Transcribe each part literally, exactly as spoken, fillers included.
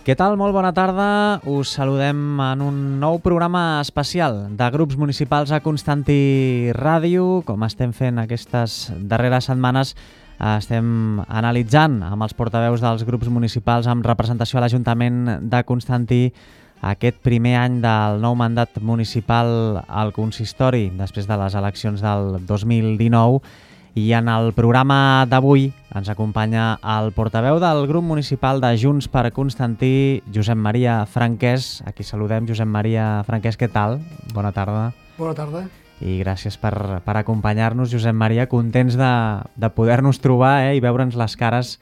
Què tal? Molt bona tarda. Us saludem en un nou programa especial de grups municipals a Constantí Ràdio. Com estem fent aquestes darreres setmanes, estem analitzant amb els portaveus dels grups municipals amb representació a l'Ajuntament de Constantí aquest primer any del nou mandat municipal al consistori després de les eleccions del dos mil dinou. I en el programa d'avui ens acompanya el portaveu del grup municipal de Junts per Constantí, Josep Maria Franquès. Aquí saludem. Josep Maria Franquès, què tal? Bona tarda. Bona tarda. I gràcies per, per acompanyar-nos, Josep Maria. Contents de, de poder-nos trobar eh, i veure'ns les cares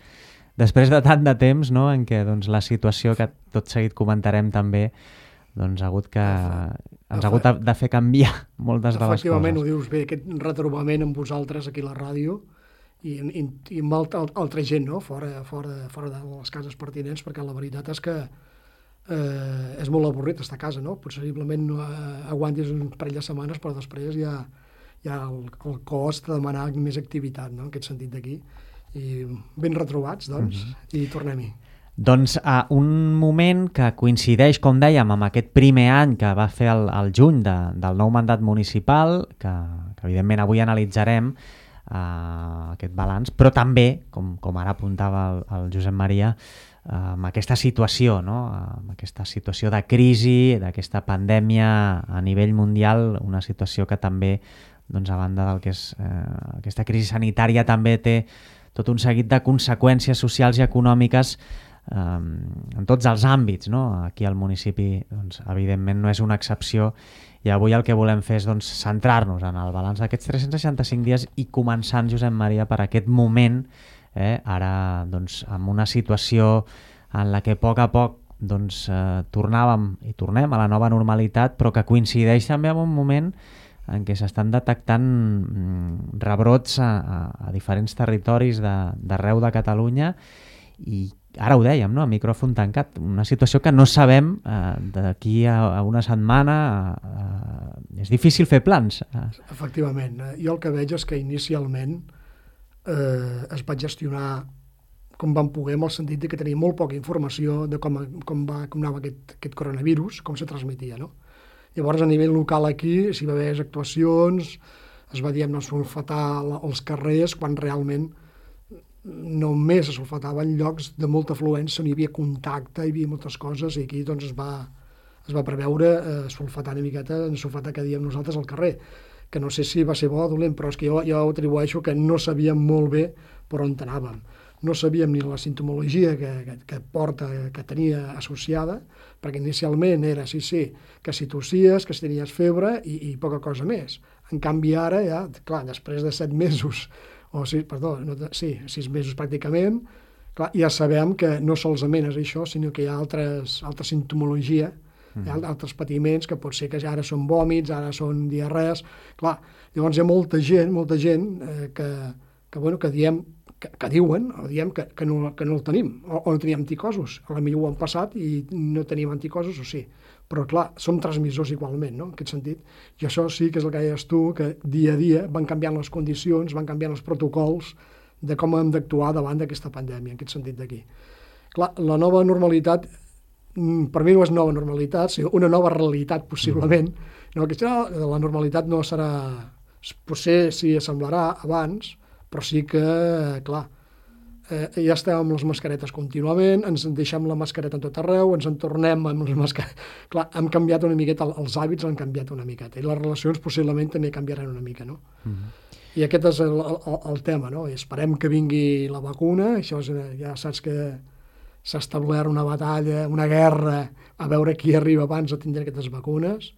després de tant de temps, no?, en què doncs, la situació que tot seguit comentarem també doncs, ha hagut que, ens ha hagut de fer canviar moltes de les coses. Efectivament, ho dius bé, aquest retrobament amb vosaltres aquí a la ràdio i, i, i amb altra, altra gent, no?, fora, fora, fora de les cases pertinents, perquè la veritat és que eh, és molt avorrit estar a casa, no? Possiblement no aguantis un parell de setmanes, però després ja, ja el, el cost de demanar més activitat, no?, en aquest sentit d'aquí. I ben retrobats, doncs, mm-hmm. i tornem-hi. Doncs a un moment que coincideix, com dèiem, amb aquest primer any que va fer el, el juny de, del nou mandat municipal, que, que evidentment avui analitzarem uh, aquest balanç, però també, com, com ara apuntava el, el Josep Maria, uh, amb aquesta situació, no? amb aquesta situació de crisi, d'aquesta pandèmia a nivell mundial, una situació que també, doncs, a banda del que és uh, aquesta crisi sanitària, també té tot un seguit de conseqüències socials i econòmiques en tots els àmbits, no? Aquí al municipi, doncs, evidentment, no és una excepció i avui el que volem fer és doncs, centrar-nos en el balanç d'aquests tres-cents seixanta-cinc dies i començant, Josep Maria, per aquest moment, eh, ara doncs, amb una situació en la que a poc a poc doncs, eh, tornàvem i tornem a la nova normalitat, però que coincideix també amb un moment en què s'estan detectant mm, rebrots a, a, a diferents territoris d'arreu de, de Catalunya i ara ho dèiem, no? A micròfon tancat, una situació que no sabem eh, d'aquí a, a una setmana, eh, és difícil fer plans. Efectivament, jo el que veig és que inicialment eh, es va gestionar com vam poder, en el sentit de que tenia molt poca informació de com, com, va, com anava aquest, aquest coronavirus, com se transmetia, no? Llavors, a nivell local aquí, si va haver actuacions, es va, diguem, no sulfatar els carrers, quan realment només es sulfatava en llocs de molta afluència on hi havia contacte, hi havia moltes coses, i aquí doncs, es, va, es va preveure eh, sulfatar una miqueta, sulfatar que diem nosaltres al carrer, que no sé si va ser bo o dolent, però és que jo, jo atribueixo que no sabíem molt bé per on anàvem. No sabíem ni la sintomologia que, que, que porta, que tenia associada, perquè inicialment era, sí, sí, que si tossies, que si tenies febre i, i poca cosa més. En canvi ara, ja, clar, després de set mesos, o sis, perdó, no, sí, sis mesos pràcticament, clar, ja sabem que no solament és això, sinó que hi ha altres, altra sintomologia, mm. hi ha altres patiments que pot ser que ara són vòmits, ara són diarrees, clar, llavors hi ha molta gent, molta gent eh, que, que, bueno, que diem, que, que diuen, o diem que, que, no, que no el tenim, o, o no teníem anticossos, a la millor ho han passat i no tenim anticossos, o sí, però clar, som transmissors igualment, no?, en aquest sentit. I això sí que és el que deies tu, que dia a dia van canviant les condicions, van canviant els protocols de com hem d'actuar davant d'aquesta pandèmia, en aquest sentit d'aquí. Clar, la nova normalitat, per mi no és nova normalitat, sinó una nova realitat, possiblement. No, aquesta, la normalitat no serà, potser sí semblarà abans, però sí que, clar, Eh, ja estem amb les mascaretes contínuament, ens deixem la mascareta en tot arreu, ens en tornem amb les mascaretes. Clar, hem canviat una miqueta, els hàbits han canviat una miqueta, i les relacions possiblement també canviaran una mica, no? Mm-hmm. I aquest és el, el, el tema, no? I esperem que vingui la vacuna, això és, ja saps que s'ha establert una batalla, una guerra, a veure qui arriba abans a tindre aquestes vacunes,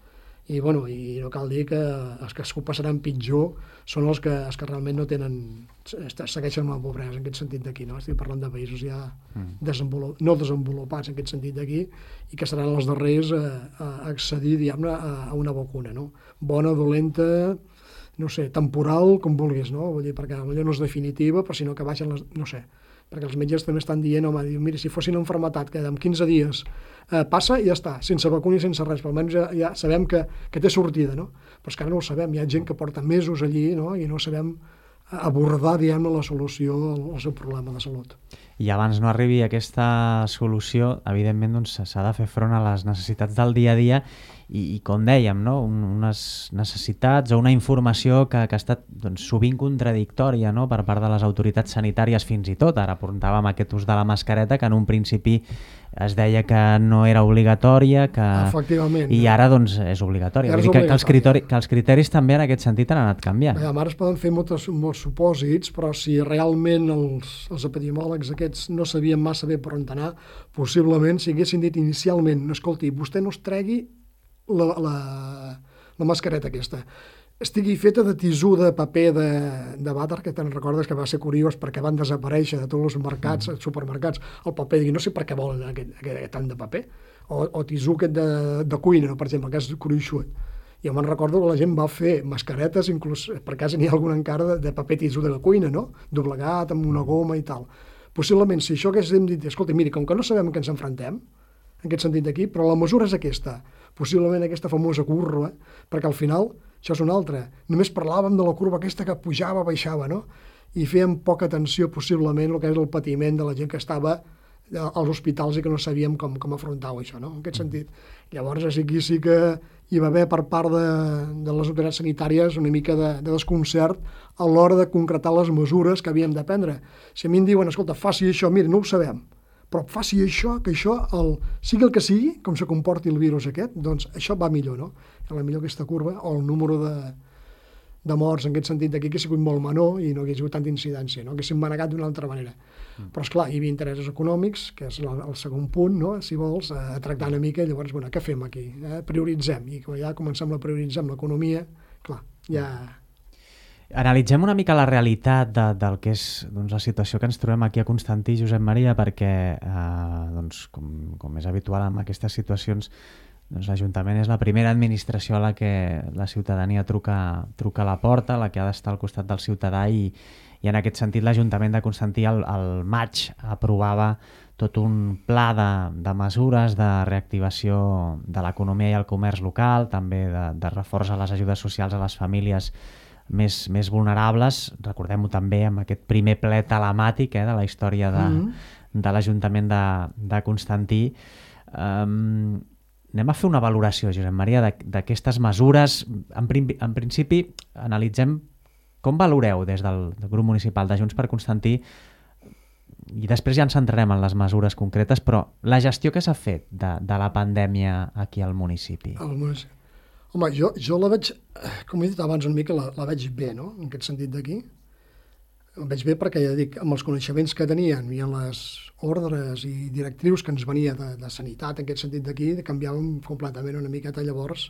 i, bueno, i no cal dir que els que s'ho passaran pitjor són els que, els que realment no tenen, segueixen amb la pobresa, en aquest sentit d'aquí, no? Estic parlant de països ja mm. desenvolup, no desenvolupats en aquest sentit d'aquí, i que seran els darrers a, a accedir, diguem-ne, a, a una vacuna, no? Bona, dolenta, no sé, temporal, com vulguis, no? Vull dir, perquè potser no és definitiva, però sinó que baixen les, no sé, perquè els metges també estan dient, home, diu, mira, si fossin una malaltia que en quinze dies eh, passa i ja està, sense vacuna i sense res, però almenys ja, ja sabem que, que té sortida, no? Però és que ara no ho sabem, hi ha gent que porta mesos allí, no?, i no sabem abordar, diguem, la solució al seu problema de salut. i abans no arribi aquesta solució, evidentment doncs, s'ha de fer front a les necessitats del dia a dia i, i com dèiem, no? Un, unes necessitats o una informació que, que ha estat doncs, sovint contradictòria, no? Per part de les autoritats sanitàries fins i tot. Ara apuntàvem aquest ús de la mascareta, que en un principi es deia que no era obligatòria, que... Efectivament. I ara doncs, és obligatòria. Vull dir que, que, els criteri, que els criteris també en aquest sentit han anat canviant. Bé, ara es poden fer moltes, molts supòsits, però si realment els, els epidemiòlegs aquests no sabien massa bé per on anar, possiblement si haguessin dit inicialment, no, escolti, vostè no es tregui la, la, la mascareta aquesta, estigui feta de tisú de paper de, de vàter, que te'n recordes que va ser curiós perquè van desaparèixer de tots els mercats, mm. supermercats, el paper, digui, no sé per què volen aquest, aquest tant de paper, o, o tisú aquest de, de cuina, no? Per exemple, que és gruixut. Jo me'n recordo que la gent va fer mascaretes, inclús per casa n'hi ha alguna encara de, de paper tisú de la cuina, no? Doblegat amb una goma i tal. Possiblement, si això haguéssim dit, escolta, miri, com que no sabem que ens enfrontem, en aquest sentit d'aquí, però la mesura és aquesta, possiblement aquesta famosa curva, perquè al final, això és una altra, només parlàvem de la curva aquesta que pujava, baixava, no? I fèiem poca atenció possiblement al que és el patiment de la gent que estava als hospitals i que no sabíem com, com afrontar-ho, això, no? En aquest sentit. Llavors, aquí sí que hi va haver per part de, de les autoritats sanitàries una mica de, de desconcert a l'hora de concretar les mesures que havíem de prendre. Si a mi em diuen, escolta, faci això, mira, no ho sabem, però faci això, que això, el, sigui el que sigui, com se comporti el virus aquest, doncs això va millor, no? A la millor aquesta curva, o el número de, de morts en aquest sentit d'aquí, que ha sigut molt menor i no hagués sigut tanta incidència, no? Haguéssim manegat d'una altra manera. Mm. Però, esclar, hi havia interessos econòmics, que és el, el segon punt, no? Si vols, a, a tractar una mica, i llavors, bueno, què fem aquí? Eh? Prioritzem, i quan ja comencem a prioritzar amb l'economia, clar, ja... Analitzem una mica la realitat de, del que és doncs, la situació que ens trobem aquí a Constantí, Josep Maria, perquè, eh, doncs, com, com és habitual en aquestes situacions, doncs, l'Ajuntament és la primera administració a la que la ciutadania truca, truca a la porta, la que ha d'estar al costat del ciutadà, i, i en aquest sentit l'Ajuntament de Constantí al, al maig aprovava tot un pla de, de mesures de reactivació de l'economia i el comerç local, també de, de reforç a les ajudes socials a les famílies més, més vulnerables. Recordem-ho també amb aquest primer ple telemàtic eh, de la història de, mm-hmm. de l'Ajuntament de, de Constantí. Um, anem a fer una valoració, Josep Maria, d'aquestes mesures. En, prim, en principi, analitzem com valoreu des del, del grup municipal de Junts per Constantí, i després ja ens centrarem en les mesures concretes, però la gestió que s'ha fet de, de la pandèmia aquí al municipi. Al municipi. Home, jo, jo la veig, com he dit abans una mica, la, la veig bé, no?, en aquest sentit d'aquí. La veig bé perquè, ja dic, amb els coneixements que tenien i amb les ordres i directrius que ens venia de, de sanitat, en aquest sentit d'aquí, canviàvem completament una miqueta llavors,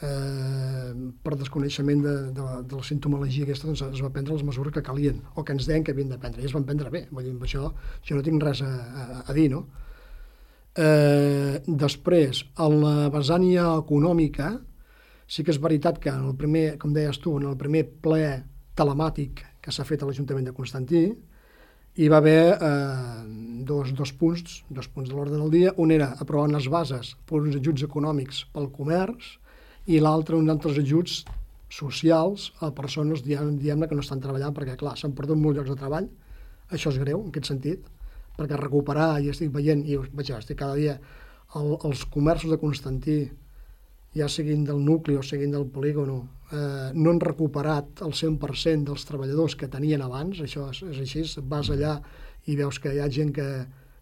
eh, per desconeixement de, de, de la sintomologia aquesta, doncs es va prendre les mesures que calien, o que ens deien que havien de prendre, i es van prendre bé. Vull dir, amb això jo no tinc res a, a, a dir, no? Eh, després, a la vessània econòmica, sí que és veritat que en el primer, com deies tu, en el primer ple telemàtic que s'ha fet a l'Ajuntament de Constantí, hi va haver eh, dos, dos punts, dos punts de l'ordre del dia. Un era aprovar unes bases per uns ajuts econòmics pel comerç i l'altre uns altres ajuts socials a persones, diguem-ne, que no estan treballant, perquè, clar, s'han perdut molts llocs de treball. Això és greu, en aquest sentit, perquè recuperar, i estic veient, i vaja, estic cada dia, el, els comerços de Constantí, ja siguin del nucli o siguin del polígono, eh, no han recuperat el cent per cent dels treballadors que tenien abans. Això és, és així, vas allà i veus que hi ha gent que,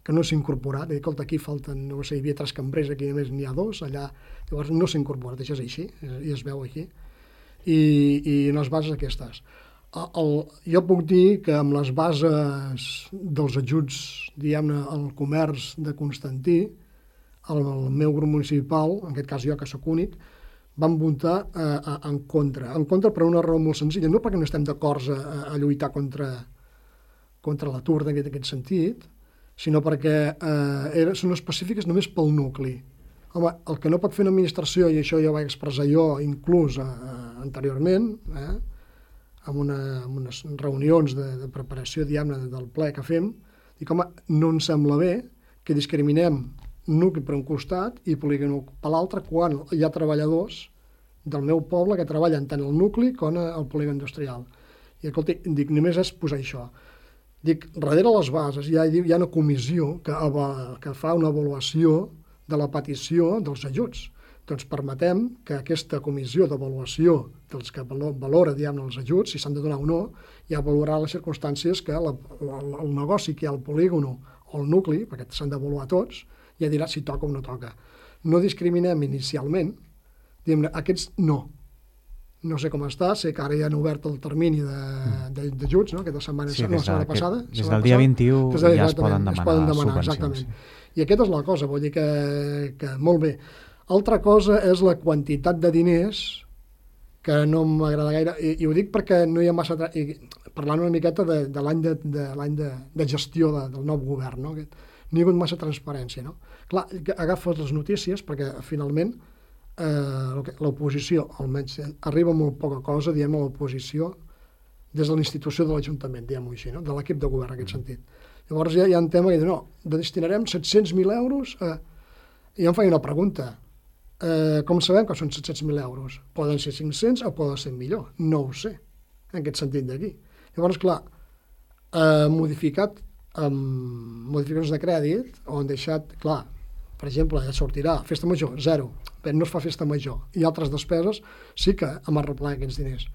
que no s'ha incorporat, i escolta, aquí falten, no sé, hi havia tres cambrers, aquí només n'hi ha dos, allà, llavors no s'ha incorporat, això és així, i es veu aquí. I, i en les bases aquestes. El, el, jo puc dir que amb les bases dels ajuts, diguem-ne, al comerç de Constantí, el, el meu grup municipal, en aquest cas jo que sóc únic, vam votar eh, en contra. En contra per una raó molt senzilla, no perquè no estem d'acord a, a lluitar contra, contra l'atur en aquest sentit, sinó perquè eh, són específiques només pel nucli. Home, el que no pot fer una administració, i això ja ho vaig expressar jo inclús eh, anteriorment, eh, amb, una, amb unes reunions de, de preparació, diguem-ne, del ple que fem, dic, home, no ens sembla bé que discriminem nucli per un costat i polígon per l'altre, quan hi ha treballadors del meu poble que treballen tant al nucli com al polígon industrial. I escolta, dic, només és posar això. Dic, darrere les bases hi ha, hi ha una comissió que, que fa una avaluació de la petició dels ajuts. Doncs permetem que aquesta comissió d'avaluació dels que valora, diguem, els ajuts, si s'han de donar o no, ja valorarà les circumstàncies que la, el, el negoci que hi ha al polígon o el nucli, perquè s'han d'avaluar tots, ja dirà si toca o no toca. No discriminem inicialment, diguem, aquests no. No sé com està, sé que ara ja han obert el termini d'ajuts, no? Aquesta setmana, sí, no, la setmana passada. Des del dia vint-i-u ja es poden demanar, es poden demanar subvencions. Exactament. I aquesta és la cosa, vull dir que, que molt bé. Altra cosa és la quantitat de diners que no m'agrada gaire, i, i ho dic perquè no hi ha massa... I, parlant una miqueta de, de l'any de, de, l'any de, de gestió de, del nou govern, no? No hi ha hagut massa transparència, no? Clar, agafes les notícies perquè finalment eh, l'oposició, almenys, arriba molt poca cosa, diguem, a l'oposició des de la institució de l'Ajuntament, diguem-ho així, no? De l'equip de govern, en aquest sentit. Llavors ja hi ha un tema que diu, no, destinarem set-cents mil euros a... I em feia una pregunta. Eh, com sabem que són set-cents mil euros? Poden ser cinc-cents o poden ser millor? No ho sé, en aquest sentit d'aquí. Llavors, clar, eh, modificat amb modificacions de crèdit, o han deixat, clar, per exemple, ja sortirà festa major, zero, però no es fa festa major, i altres despeses sí que hem arreglat aquests diners.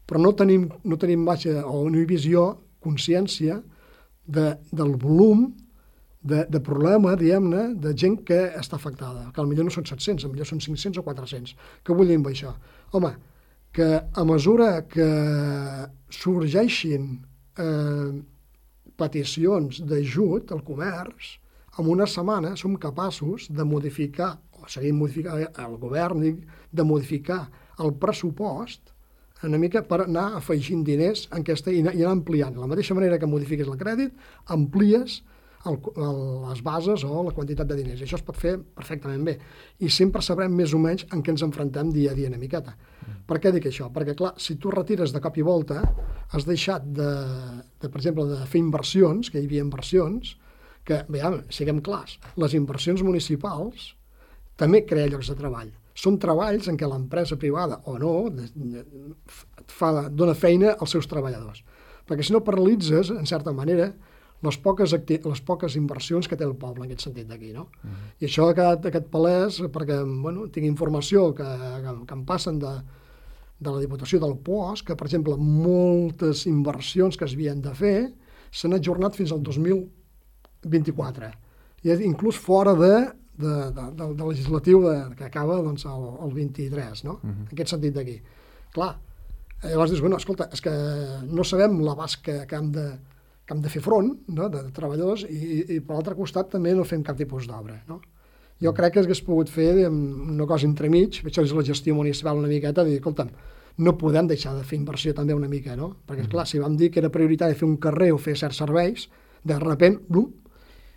Però no tenim, no tenim baixa, o no hi ha visió, consciència, De, del volum de, de problema, diguem-ne, de gent que està afectada, que potser no són set-cents, potser són cinc-cents o quatre-cents. Què vull dir amb això? Home, que a mesura que sorgeixin eh, peticions d'ajut al comerç, en una setmana som capaços de modificar, o seguir modificant el govern, de modificar el pressupost una mica per anar afegint diners en aquesta, i, anar, i anar ampliant. De la mateixa manera que modifiques el crèdit, amplies el, el, les bases o la quantitat de diners. I això es pot fer perfectament bé. I sempre sabrem més o menys en què ens enfrontem dia a dia una miqueta. Mm. Per què dic això? Perquè, clar, si tu retires de cop i volta, has deixat de, de per exemple, de fer inversions, que hi havia inversions, que, veiem, siguem clars, les inversions municipals també creen llocs de treball. Són treballs en què l'empresa privada, o no, de, de, fa, dona feina als seus treballadors. Perquè si no paralitzes, en certa manera, les poques, acti les poques inversions que té el poble, en aquest sentit d'aquí, no? Uh-huh. I això ha quedat aquest palès, perquè, bueno, tinc informació que, que, que em passen de, de la Diputació del Puosc, que, per exemple, moltes inversions que es havien de fer s'han ajornat fins al dos mil vint-i-quatre. I inclús fora de De, de, de, de legislatiu de, que acaba doncs, el, el vint-i-tres, no? Uh-huh. En aquest sentit d'aquí. Clar, llavors dius, bueno, escolta, és que no sabem l'abast que, que, hem de, que hem de fer front, no?, de, de treballadors, i, i, i per l'altre costat també no fem cap tipus d'obra, no? Jo uh-huh. crec que s'hagués pogut fer una cosa entremig, això és la gestió municipal una miqueta, de dir, escolta'm, no podem deixar de fer inversió també una mica, no? Perquè, uh-huh. clar, si vam dir que era prioritari fer un carrer o fer certs serveis, de sobte, blum,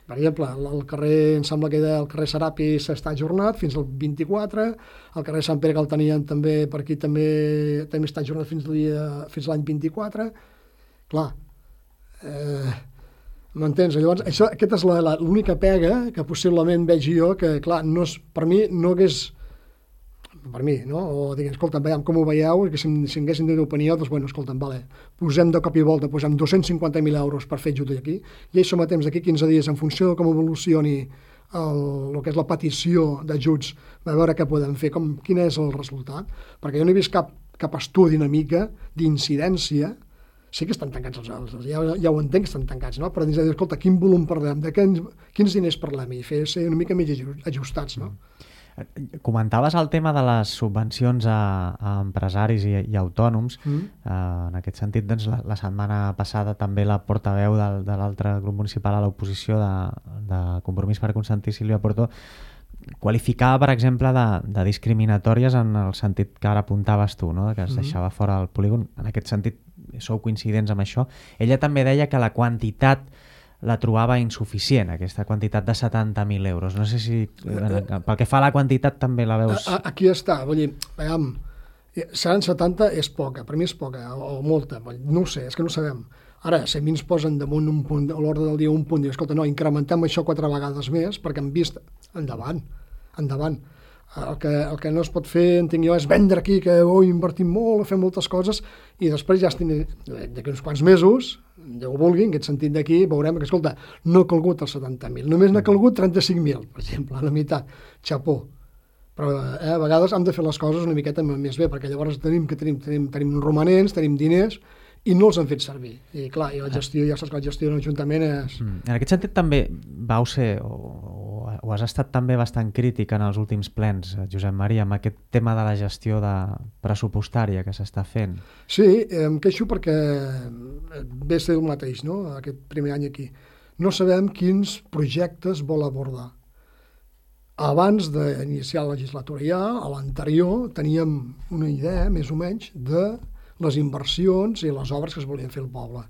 per exemple, el carrer, em sembla que el carrer Serapi s'està ajornat fins al vint-i-quatre, el carrer Sant Pere que el tenien també, per aquí també, també està ajornat fins l'any vint-i-quatre. Clar, eh, m'entens? Llavors, això, aquesta és l'única pega que possiblement veig jo, que clar, no és, per mi no hagués... per mi, no? O diguem, escolta'm, veiem com ho veieu, i que si, si haguéssim de opinió, doncs, bueno, escolta'm, vale, posem de cop i volta, posem dos-cents cinquanta mil euros per fer ajut aquí, i això mateix d'aquí quinze dies, en funció de com evolucioni el, el que és la petició d'ajuts, a veure què podem fer, com, quin és el resultat, perquè jo no he vist cap, cap estudi una mica d'incidència, sí que estan tancats els altres, ja, ja ho entenc que estan tancats, no? Però dins de dir, escolta, quin volum parlem, de quins, quins diners parlem, i fer ser una mica més ajustats, no? Comentaves el tema de les subvencions a, a empresaris i, i autònoms. Mm. Uh, en aquest sentit, doncs, la, la setmana passada també la portaveu del, de l'altre grup municipal a l'oposició de, de Compromís per Consentir, Sílvia Porto, qualificava, per exemple, de, de discriminatòries en el sentit que ara apuntaves tu, no? Que es mm. deixava fora el polígon. En aquest sentit, sou coincidents amb això. Ella també deia que la quantitat la trobava insuficient, aquesta quantitat de setanta mil euros. No sé si, pel que fa a la quantitat, també la veus... Aquí està, vull dir, veiem, seran setanta és poca, per mi és poca, o molta, no ho sé, és que no ho sabem. Ara, si a mi ens posen damunt un punt, a l'ordre del dia un punt, diu, escolta, no, incrementem això quatre vegades més, perquè hem vist, endavant, endavant. El que, el que no es pot fer, entenc jo, és vendre aquí que oh, invertim molt, fem moltes coses i després ja estem d'aquí uns quants mesos, Déu ho vulgui, en aquest sentit d'aquí, veurem que, escolta, no ha calgut els setanta mil, només n'ha calgut trenta-cinc mil, per exemple, a la meitat, xapó. Però eh, a vegades hem de fer les coses una miqueta més bé, perquè llavors tenim que tenim, tenim, tenim romanents, tenim diners, i no els han fet servir. I clar, i la gestió, ja saps que la gestió d'un ajuntament és... Mm. En aquest sentit també vau ser, o, o, o has estat també bastant crític en els últims plens, Josep Maria, amb aquest tema de la gestió de pressupostària que s'està fent. Sí, em queixo perquè ve a ser el mateix, no?, aquest primer any aquí. No sabem quins projectes vol abordar. Abans d'iniciar la legislatura ja, a l'anterior, teníem una idea, més o menys, de les inversions i les obres que es volien fer al poble.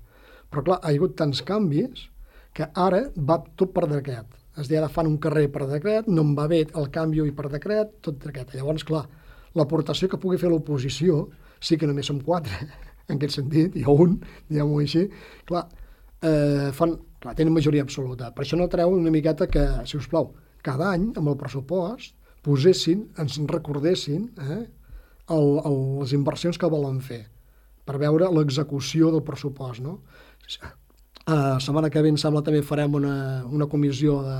Però clar, ha hagut tants canvis que ara va tot per decret. Es deia, ara fan un carrer per decret, no en va bé el canvi i per decret, tot decret. Llavors, clar, l'aportació que pugui fer l'oposició, sí que només som quatre, en aquest sentit, i un, diguem-ho així, clar, eh, fan, clar, tenen majoria absoluta. Per això no treu una miqueta que, si us plau, cada any, amb el pressupost, posessin, ens recordessin eh, el, el, les inversions que volen fer, per veure l'execució del pressupost, no? La uh, setmana que ve, em sembla, també farem una, una comissió de,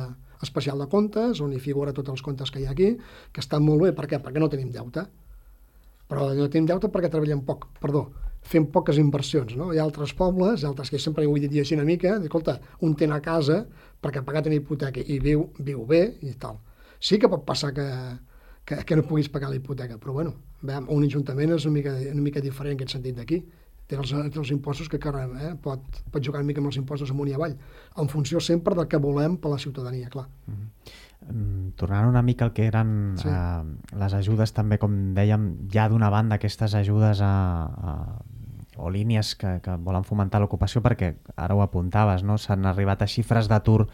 especial de comptes, on hi figura tots els comptes que hi ha aquí, que estan molt bé. Per què? Perquè no tenim deute. Però no tenim deute perquè treballem poc, perdó, fem poques inversions, no? Hi ha altres pobles, altres que sempre ho he dit així una mica, escolta, un té a casa perquè ha pagat una hipoteca i viu, viu bé i tal. Sí que pot passar que, que, que no puguis pagar la hipoteca, però bueno, veiem, un ajuntament és una mica, una mica diferent en aquest sentit d'aquí. Té els, té els impostos que eh, pot, pot jugar una mica amb els impostos amunt i avall, en funció sempre del que volem per la ciutadania, clar. Mm-hmm. Tornant una mica al que eren sí. eh, les ajudes, també, com dèiem, ja d'una banda aquestes ajudes a, a, o línies que, que volen fomentar l'ocupació, perquè ara ho apuntaves, no? S'han arribat a xifres d'atur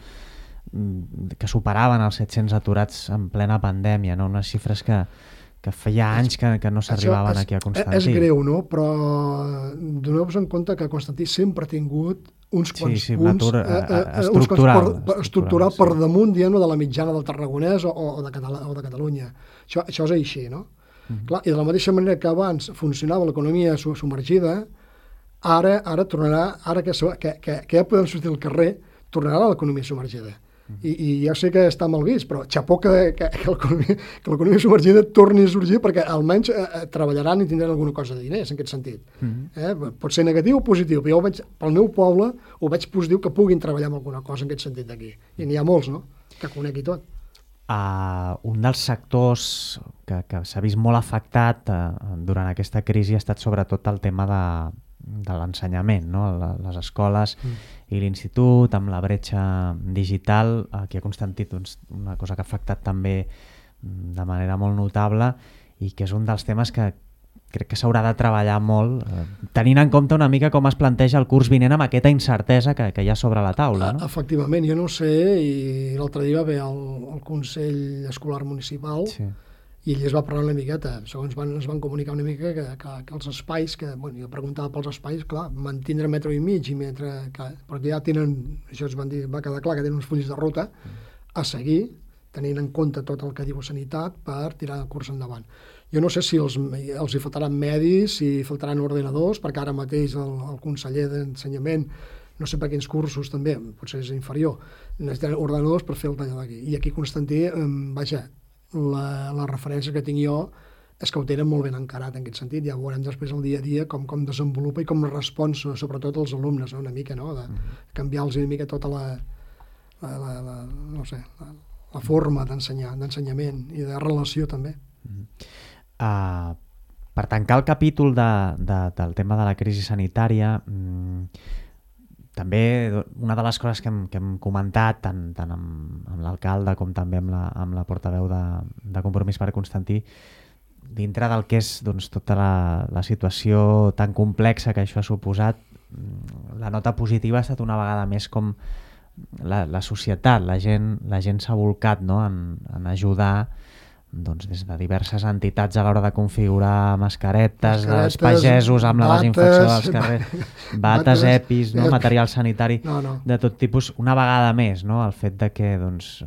que superaven els set-cents aturats en plena pandèmia, no? Unes xifres que, que feia anys que, que no s'arribaven aquí a Constantí. És greu, no? Però doneu-vos en compte que Constantí sempre ha tingut uns quants sí, sí, punts eh, eh, estructural, per, per, estructural sí. per damunt, diguem, de la mitjana del tarragonès o, o, de, Catala, o de Catalunya. Això, això és així, no? Mm-hmm. Clar, i de la mateixa manera que abans funcionava l'economia submergida, ara, ara tornarà, ara que, que, que, que ja podem sortir al carrer, tornarà l'economia submergida. I, i ja sé que està mal vist, però xapó que, que, que l'economia submergida torni a sorgir, perquè almenys eh, treballaran i tindran alguna cosa de diners en aquest sentit. Mm-hmm. eh? Pot ser negatiu o positiu, però jo ho veig, pel meu poble ho veig positiu que puguin treballar amb alguna cosa en aquest sentit d'aquí. I n'hi ha molts, no?, que conegui tot. Uh, un dels sectors que, que s'ha vist molt afectat uh, durant aquesta crisi ha estat sobretot el tema de, de l'ensenyament, no? Les escoles mm. i l'institut, amb la bretxa digital, aquí a Constantí, doncs, una cosa que ha afectat també de manera molt notable i que és un dels temes que crec que s'haurà de treballar molt, eh, tenint en compte una mica com es planteja el curs vinent amb aquesta incertesa que, que hi ha sobre la taula. No? Efectivament, jo no sé, i l'altre dia va haver el, el Consell Escolar Municipal sí. i ells va parlar una miqueta, segons van, ens van comunicar una mica que, que, que els espais, que bueno, jo preguntava pels espais, clar, mantindre metro i mig, i metre, que, perquè ja tenen, això es van dir, va quedar clar que tenen uns fulls de ruta a seguir, tenint en compte tot el que diu Sanitat per tirar el curs endavant. Jo no sé si els, els hi faltaran medis, si faltaran ordenadors, perquè ara mateix el, el conseller d'Ensenyament, no sé per quins cursos també, potser és inferior, necessiten ordenadors per fer el tall d'aquí. I aquí a Constantí, vaja, la, la referència que tinc jo és que ho tenen molt ben encarat en aquest sentit. Ja veurem després el dia a dia com, com desenvolupa i com respon, sobretot als alumnes, no? Una mica, no? De canviar-los una mica tota la, la, la, la no sé, la, la forma d'ensenyar, d'ensenyament i de relació també. Mm-hmm. Uh, per tancar el capítol de, de, del tema de la crisi sanitària, mmm, també una de les coses que hem, que hem comentat tant, tant amb, amb l'alcalde com també amb la, amb la portaveu de, de Compromís per Constantí, dintre del que és doncs, tota la, la situació tan complexa que això ha suposat, la nota positiva ha estat una vegada més com la, la societat, la gent, la gent s'ha volcat, no?, en, en ajudar doncs des de diverses entitats a l'hora de configurar mascaretes, Mascaretes, dels pagesos amb la bates, desinfecció dels carrers, bates, bates, epis, no? eh, material sanitari No, no. de tot tipus. Una vegada més, no? El fet de que doncs,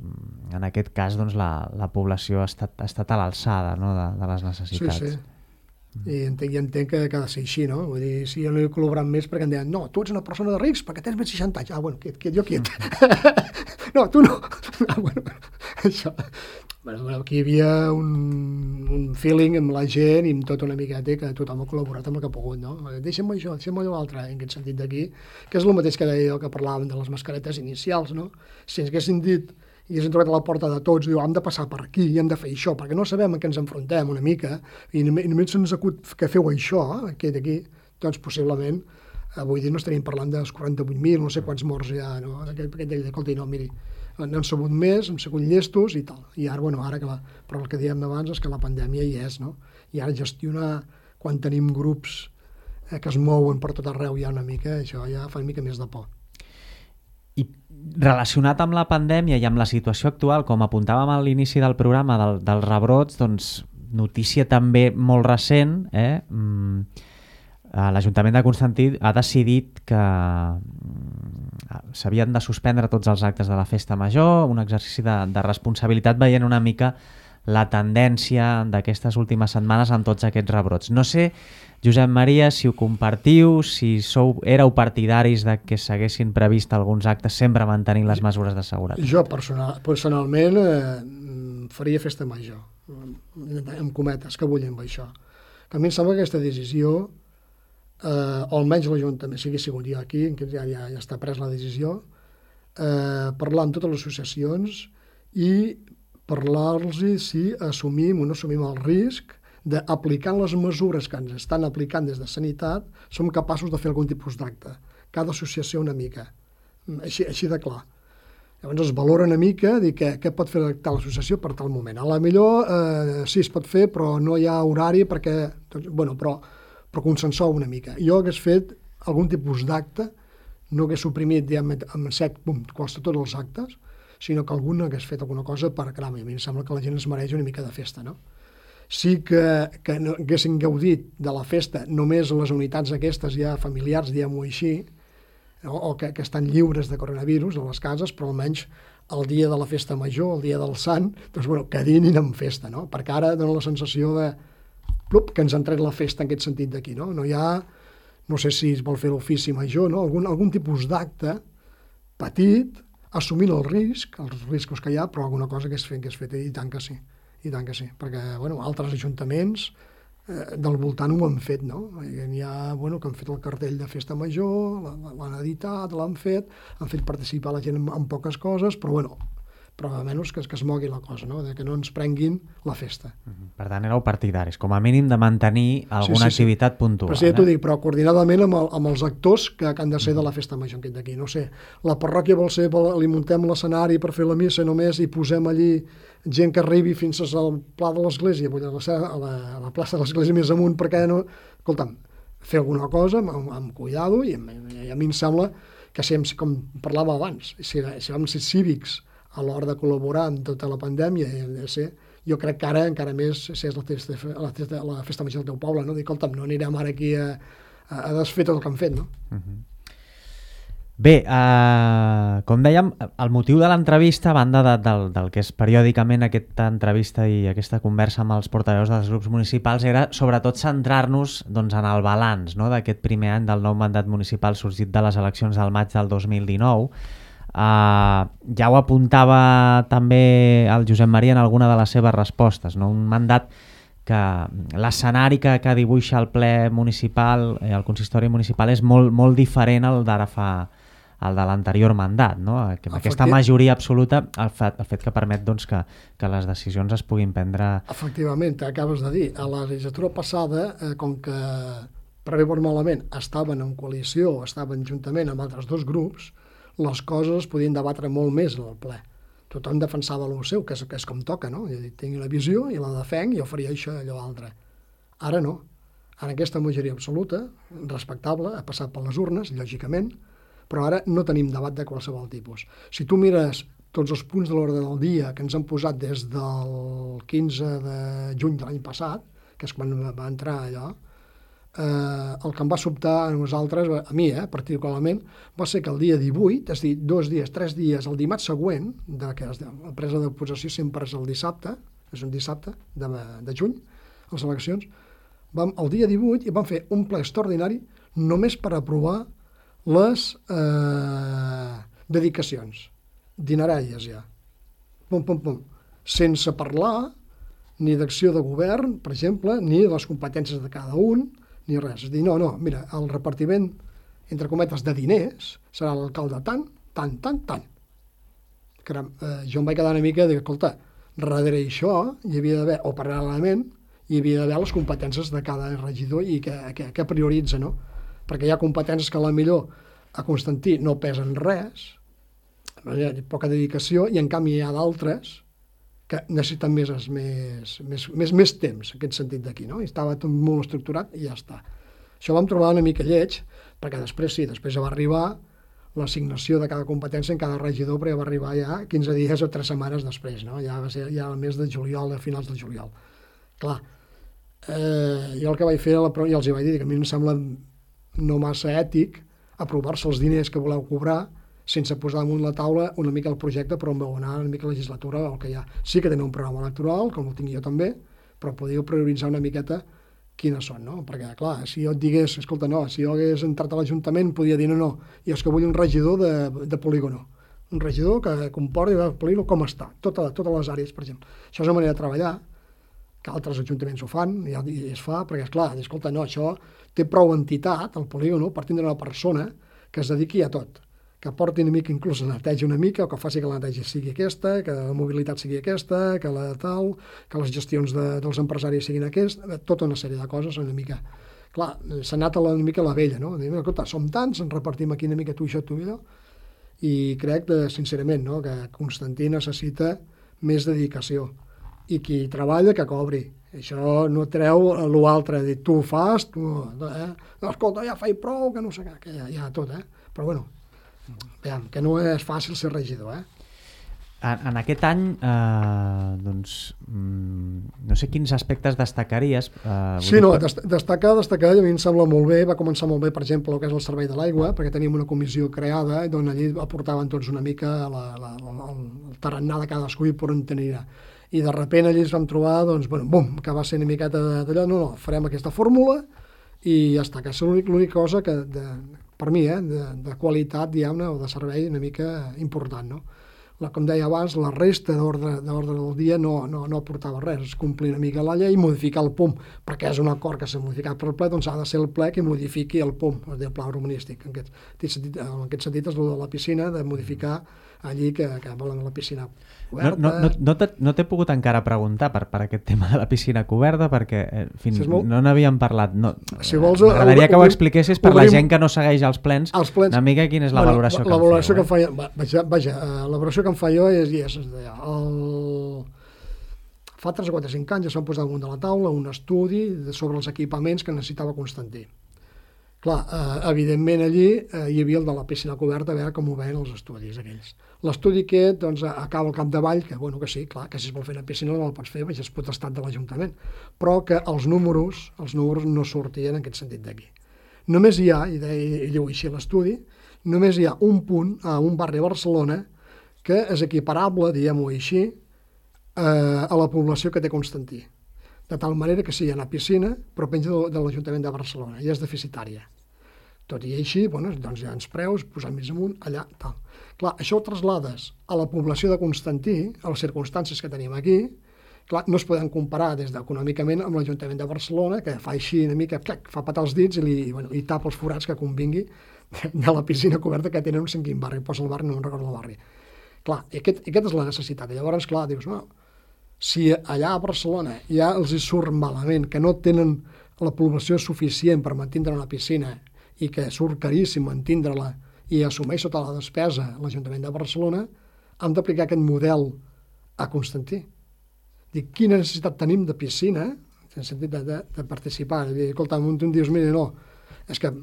en aquest cas doncs, la, la població ha estat, ha estat a l'alçada, no? de, de les necessitats. Sí, sí. I entenc, i entenc que, que ha de ser així, no? Vull dir, si jo no he col·laborat més perquè em deien, no, tu ets una persona de risc perquè tens més de seixanta anys. Ah, bueno, quiet, quiet, jo quiet. No, tu no. Ah, bueno, això. Bueno, bueno, aquí hi havia un, un feeling amb la gent i amb tot una miqueta que tothom ha col·laborat amb el que ha pogut, no? Deixa'm això, deixa'm allò l'altre, en aquest sentit d'aquí, que és el mateix que deia jo que parlàvem de les mascaretes inicials, no? Si ens haguessin dit i ens hem trobat a la porta de tots, diu, hem de passar per aquí i hem de fer això, perquè no sabem a què ens enfrontem una mica, i només, només se'ns acut que feu això, aquí d'aquí, doncs possiblement, avui dia no estaríem parlant dels quaranta-vuit mil, no sé quants morts hi ha, no? Aquest, aquest deia, escolta, no, miri, n'hem sabut més, hem sigut llestos i tal. I ara, bueno, ara que la, però el que dèiem abans és que la pandèmia hi és, no? I ara gestionar, quan tenim grups eh, que es mouen per tot arreu ja una mica, això ja fa una mica més de por. I relacionat amb la pandèmia i amb la situació actual, com apuntàvem a l'inici del programa del, dels rebrots, doncs notícia també molt recent, eh? Mm, l'Ajuntament de Constantí ha decidit que s'havien de suspendre tots els actes de la Festa Major, un exercici de, de responsabilitat veient una mica la tendència d'aquestes últimes setmanes amb tots aquests rebrots. No sé, Josep Maria, si ho compartiu, si sou, éreu partidaris de que s'haguessin previst alguns actes sempre mantenint les mesures de seguretat. Jo personal, personalment eh, faria Festa Major, amb cometes, que vull amb això. Que a mi em sembla que aquesta decisió, eh, o almenys l'Ajuntament, si hagués sigut jo aquí, que ja, ja, ja està pres la decisió, eh, parlar amb totes les associacions i parlar-los si assumim o no assumim el risc d'aplicant les mesures que ens estan aplicant des de Sanitat, som capaços de fer algun tipus d'acte. Cada associació una mica, així, així de clar. Llavors es valora una mica dir que, què pot fer tal associació per tal moment. A la millor eh, sí es pot fer, però no hi ha horari perquè, doncs, bueno, però, però consensou una mica. Jo hagués fet algun tipus d'acte, no hagués suprimit diguem, amb set, pum, quals tots els actes, sinó que algun hagués fet alguna cosa per, caram, a mi em sembla que la gent es mereix una mica de festa, no? Sí que, que no, haguessin gaudit de la festa només les unitats aquestes ja familiars, diguem-ho així, no? O que, que estan lliures de coronavirus a les cases, però almenys el dia de la festa major, el dia del sant, doncs, bueno, que dinin amb festa, no? Perquè ara dona la sensació de plup, que ens han tret la festa en aquest sentit d'aquí, no? No hi ha, no sé si es vol fer l'ofici major, no? Algun, algun tipus d'acte petit, assumint el risc, els riscos que hi ha, però alguna cosa que és fet, que és fet, i tant que sí, i tant que sí, perquè, bueno, altres ajuntaments eh, del voltant ho han fet, no? N'hi ha, bueno, que han fet el cartell de Festa Major, l'han editat, l'han fet, han fet participar la gent en, en poques coses, però, bueno, però almenys que, que es mogui la cosa, no? De que no ens prenguin la festa. Per tant, éreu partidaris, com a mínim de mantenir alguna sí, sí, activitat sí. puntual. Però sí, ja t'ho dic, però coordinadament amb, el, amb els actors que, que han de ser de la festa major d'aquí. No sé, la parròquia vol ser, vol, li muntem l'escenari per fer la missa només i posem allí gent que arribi fins al pla de l'església, vull dir, a la, a la, a la plaça de l'església més amunt, perquè no... Escolta'm, fer alguna cosa amb, amb cuidado i, i a mi em sembla que si, com parlava abans, si, si vam ser cívics a l'hora de col·laborar amb tota la pandèmia, ser, jo crec que ara encara més si és la festa, la festa, la festa major del teu poble, no? Dic, escolta'm, no anirem ara aquí a, a desfer tot el que han fet, no? Uh-huh. Bé, eh, com dèiem, el motiu de l'entrevista, a banda de, del, del que és periòdicament aquesta entrevista i aquesta conversa amb els portaveus dels grups municipals, era sobretot centrar-nos doncs, en el balanç, no?, d'aquest primer any del nou mandat municipal sorgit de les eleccions del maig del dos mil dinou. Uh, ja ho apuntava també el Josep Maria en alguna de les seves respostes, no? Un mandat que l'escenari que, que dibuixa el ple municipal, eh, el consistori municipal, és molt, molt diferent al d'ara fa el de l'anterior mandat, no? Que amb aquesta majoria absoluta, el fet, el fet que permet doncs, que, que les decisions es puguin prendre... Efectivament, acabes de dir, a la legislatura passada, eh, com que per bé o malament estaven en coalició, estaven juntament amb altres dos grups, les coses es podien debatre molt més al ple. Tothom defensava el seu, que és, que és com toca, no? Jo tinc una visió i la defenc i jo faria això i allò altre. Ara no. Ara aquesta majoria absoluta, respectable, ha passat per les urnes, lògicament, però ara no tenim debat de qualsevol tipus. Si tu mires tots els punts de l'ordre del dia que ens han posat des del quinze de juny de l'any passat, que és quan va entrar allò, eh, el que em va sobtar a nosaltres, a mi eh, particularment, va ser que el dia divuit, és a dir, dos dies, tres dies, el dimarts següent, de, que es, la presa de possessió sempre és el dissabte, és un dissabte de, de juny, les eleccions, vam, el dia divuit i vam fer un ple extraordinari només per aprovar les eh, dedicacions, dineràries ja, pum, pum, pum, sense parlar ni d'acció de govern, per exemple, ni de les competències de cada un, ni res. És dir, no, no, mira, el repartiment, entre cometes, de diners serà l'alcalde tant, tant, tant, tant. Caram, eh, jo em vaig quedar una mica de, escolta, darrere això hi havia d'haver, o paral·lelament, hi havia d'haver les competències de cada regidor i que, que, que prioritza, no? Perquè hi ha competències que a la millor a Constantí no pesen res, hi ha poca dedicació, i en canvi hi ha d'altres que necessiten més, més, més, més, més temps, en aquest sentit d'aquí, no? I estava tot molt estructurat i ja està. Això vam trobar una mica lleig, perquè després sí, després va arribar l'assignació de cada competència en cada regidor, però ja va arribar ja quinze dies o tres setmanes després, no? Ja va ser ja el mes de juliol, a finals de juliol. Clar, eh, jo el que vaig fer, ja els hi vaig dir, que a mi em sembla no massa ètic aprovar-se els diners que voleu cobrar sense posar damunt la taula una mica el projecte per on vau anar, una mica la legislatura o el que hi ha. Sí que teniu un programa electoral, com el tinc jo també, però podíeu prioritzar una miqueta quines són, no? Perquè, clar, si jo et digués, escolta, no, si jo hagués entrat a l'Ajuntament, podia dir, no, no, i és que vull un regidor de, de polígono. Un regidor que comporti el polígono com està, tota, totes les àrees, per exemple. Això és una manera de treballar, que altres ajuntaments ho fan, i es fa, perquè, esclar, escolta, no, això té prou entitat, el polígono, per tindre una persona que es dediqui a tot, que porti una mica, inclús la neteja una mica, o que faci que la neteja sigui aquesta, que la mobilitat sigui aquesta, que la tal, que les gestions de, dels empresaris siguin aquesta, tota una sèrie de coses, una mica... Clar, s'ha anat a la, una mica a la vella, no? Diu, escolta, som tants, ens repartim aquí una mica tu, això, tu i allò, i crec, que, sincerament, no? Que Constantí necessita més dedicació, i qui treballa que cobri. Això no treu l'altre, dir, tu ho fas, tu... Eh? No, escolta, ja faig prou, que no sé què, que ja, ja tot, eh? Però bueno, veiem, que no és fàcil ser regidor, eh? En, en aquest any, eh, doncs, mm, no sé quins aspectes destacaries. Eh, sí, no, dest destacar, destacar, a mi em sembla molt bé, va començar molt bé, per exemple, el que és el servei de l'aigua, perquè teníem una comissió creada, on allí aportaven tots una mica la, la, la, el tarannà de cadascú i per on tenia. I de sobte allí ens vam trobar, doncs, bueno, bum, que va ser una miqueta d'allò, no, no, farem aquesta fórmula i ja està, que és l'única cosa que, de, per mi, eh, de, de qualitat, diguem-ne, o de servei una mica important, no? La, com deia abans, la resta d'ordre del dia no, no, no aportava res, és complir una mica la llei, modificar el P U M, perquè és un acord que s'ha modificat per el ple, doncs ha de ser el ple que modifiqui el P U M, el pla urbanístic. En aquest, en aquest sentit és el de la piscina, de modificar allí que, que volen la piscina coberta. No, no, no, no t'he pogut encara preguntar per, per aquest tema de la piscina coberta, perquè eh, fins si molt... no n'havíem parlat. No, si vols, m'agradaria que ho expliquessis per la gent que no segueix els plens, els plens una mica quina és la bueno, valoració la, que la valoració em feu. Que eh? Vaja, vaja uh, la valoració que em fa jo és, és, és el... fa tres o quatre cinc anys ja s'han posat damunt de la taula un estudi sobre els equipaments que necessitava Constantí. Clar, eh, evidentment allí eh, hi havia el de la piscina coberta, a veure com ho veien els estudis aquells. L'estudi aquest, doncs, acaba al capdavall, que bueno, que sí, clar, que si es vol fer una piscina no el pots fer, perquè és potestat de l'Ajuntament, però que els números, els números no sortien en aquest sentit d'aquí. Només hi ha, i ell ho així l'estudi, només hi ha un punt a un barri a Barcelona que és equiparable, diguem-ho així, eh, a la població que té Constantí. De tal manera que sí, hi ha una piscina, però penja de, de l'Ajuntament de Barcelona, i és deficitària. Tot i així, bueno, doncs hi ha uns preus, posant més amunt, allà, tal. Clar, això ho traslades a la població de Constantí, a les circumstàncies que tenim aquí, clar, no es poden comparar des d'econòmicament amb l'Ajuntament de Barcelona, que fa així una mica, clac, fa patar els dits i, li, bueno, i tapa els forats que convingui de, de la piscina coberta que tenen un cinc quin barri, posa el barri, no me'n recordo el barri. Clar, i aquest, i aquesta és la necessitat. I llavors, clar, dius, no, si allà a Barcelona ja els hi surt malament, que no tenen la població suficient per mantindre una piscina i que surt caríssim mantindre-la i assumeix tota la despesa l'Ajuntament de Barcelona, hem d'aplicar aquest model a Constantí. Dic, quina necessitat tenim de piscina, en el sentit de, de, de participar. I dir, escolta, un tu em dius, mira, no, és que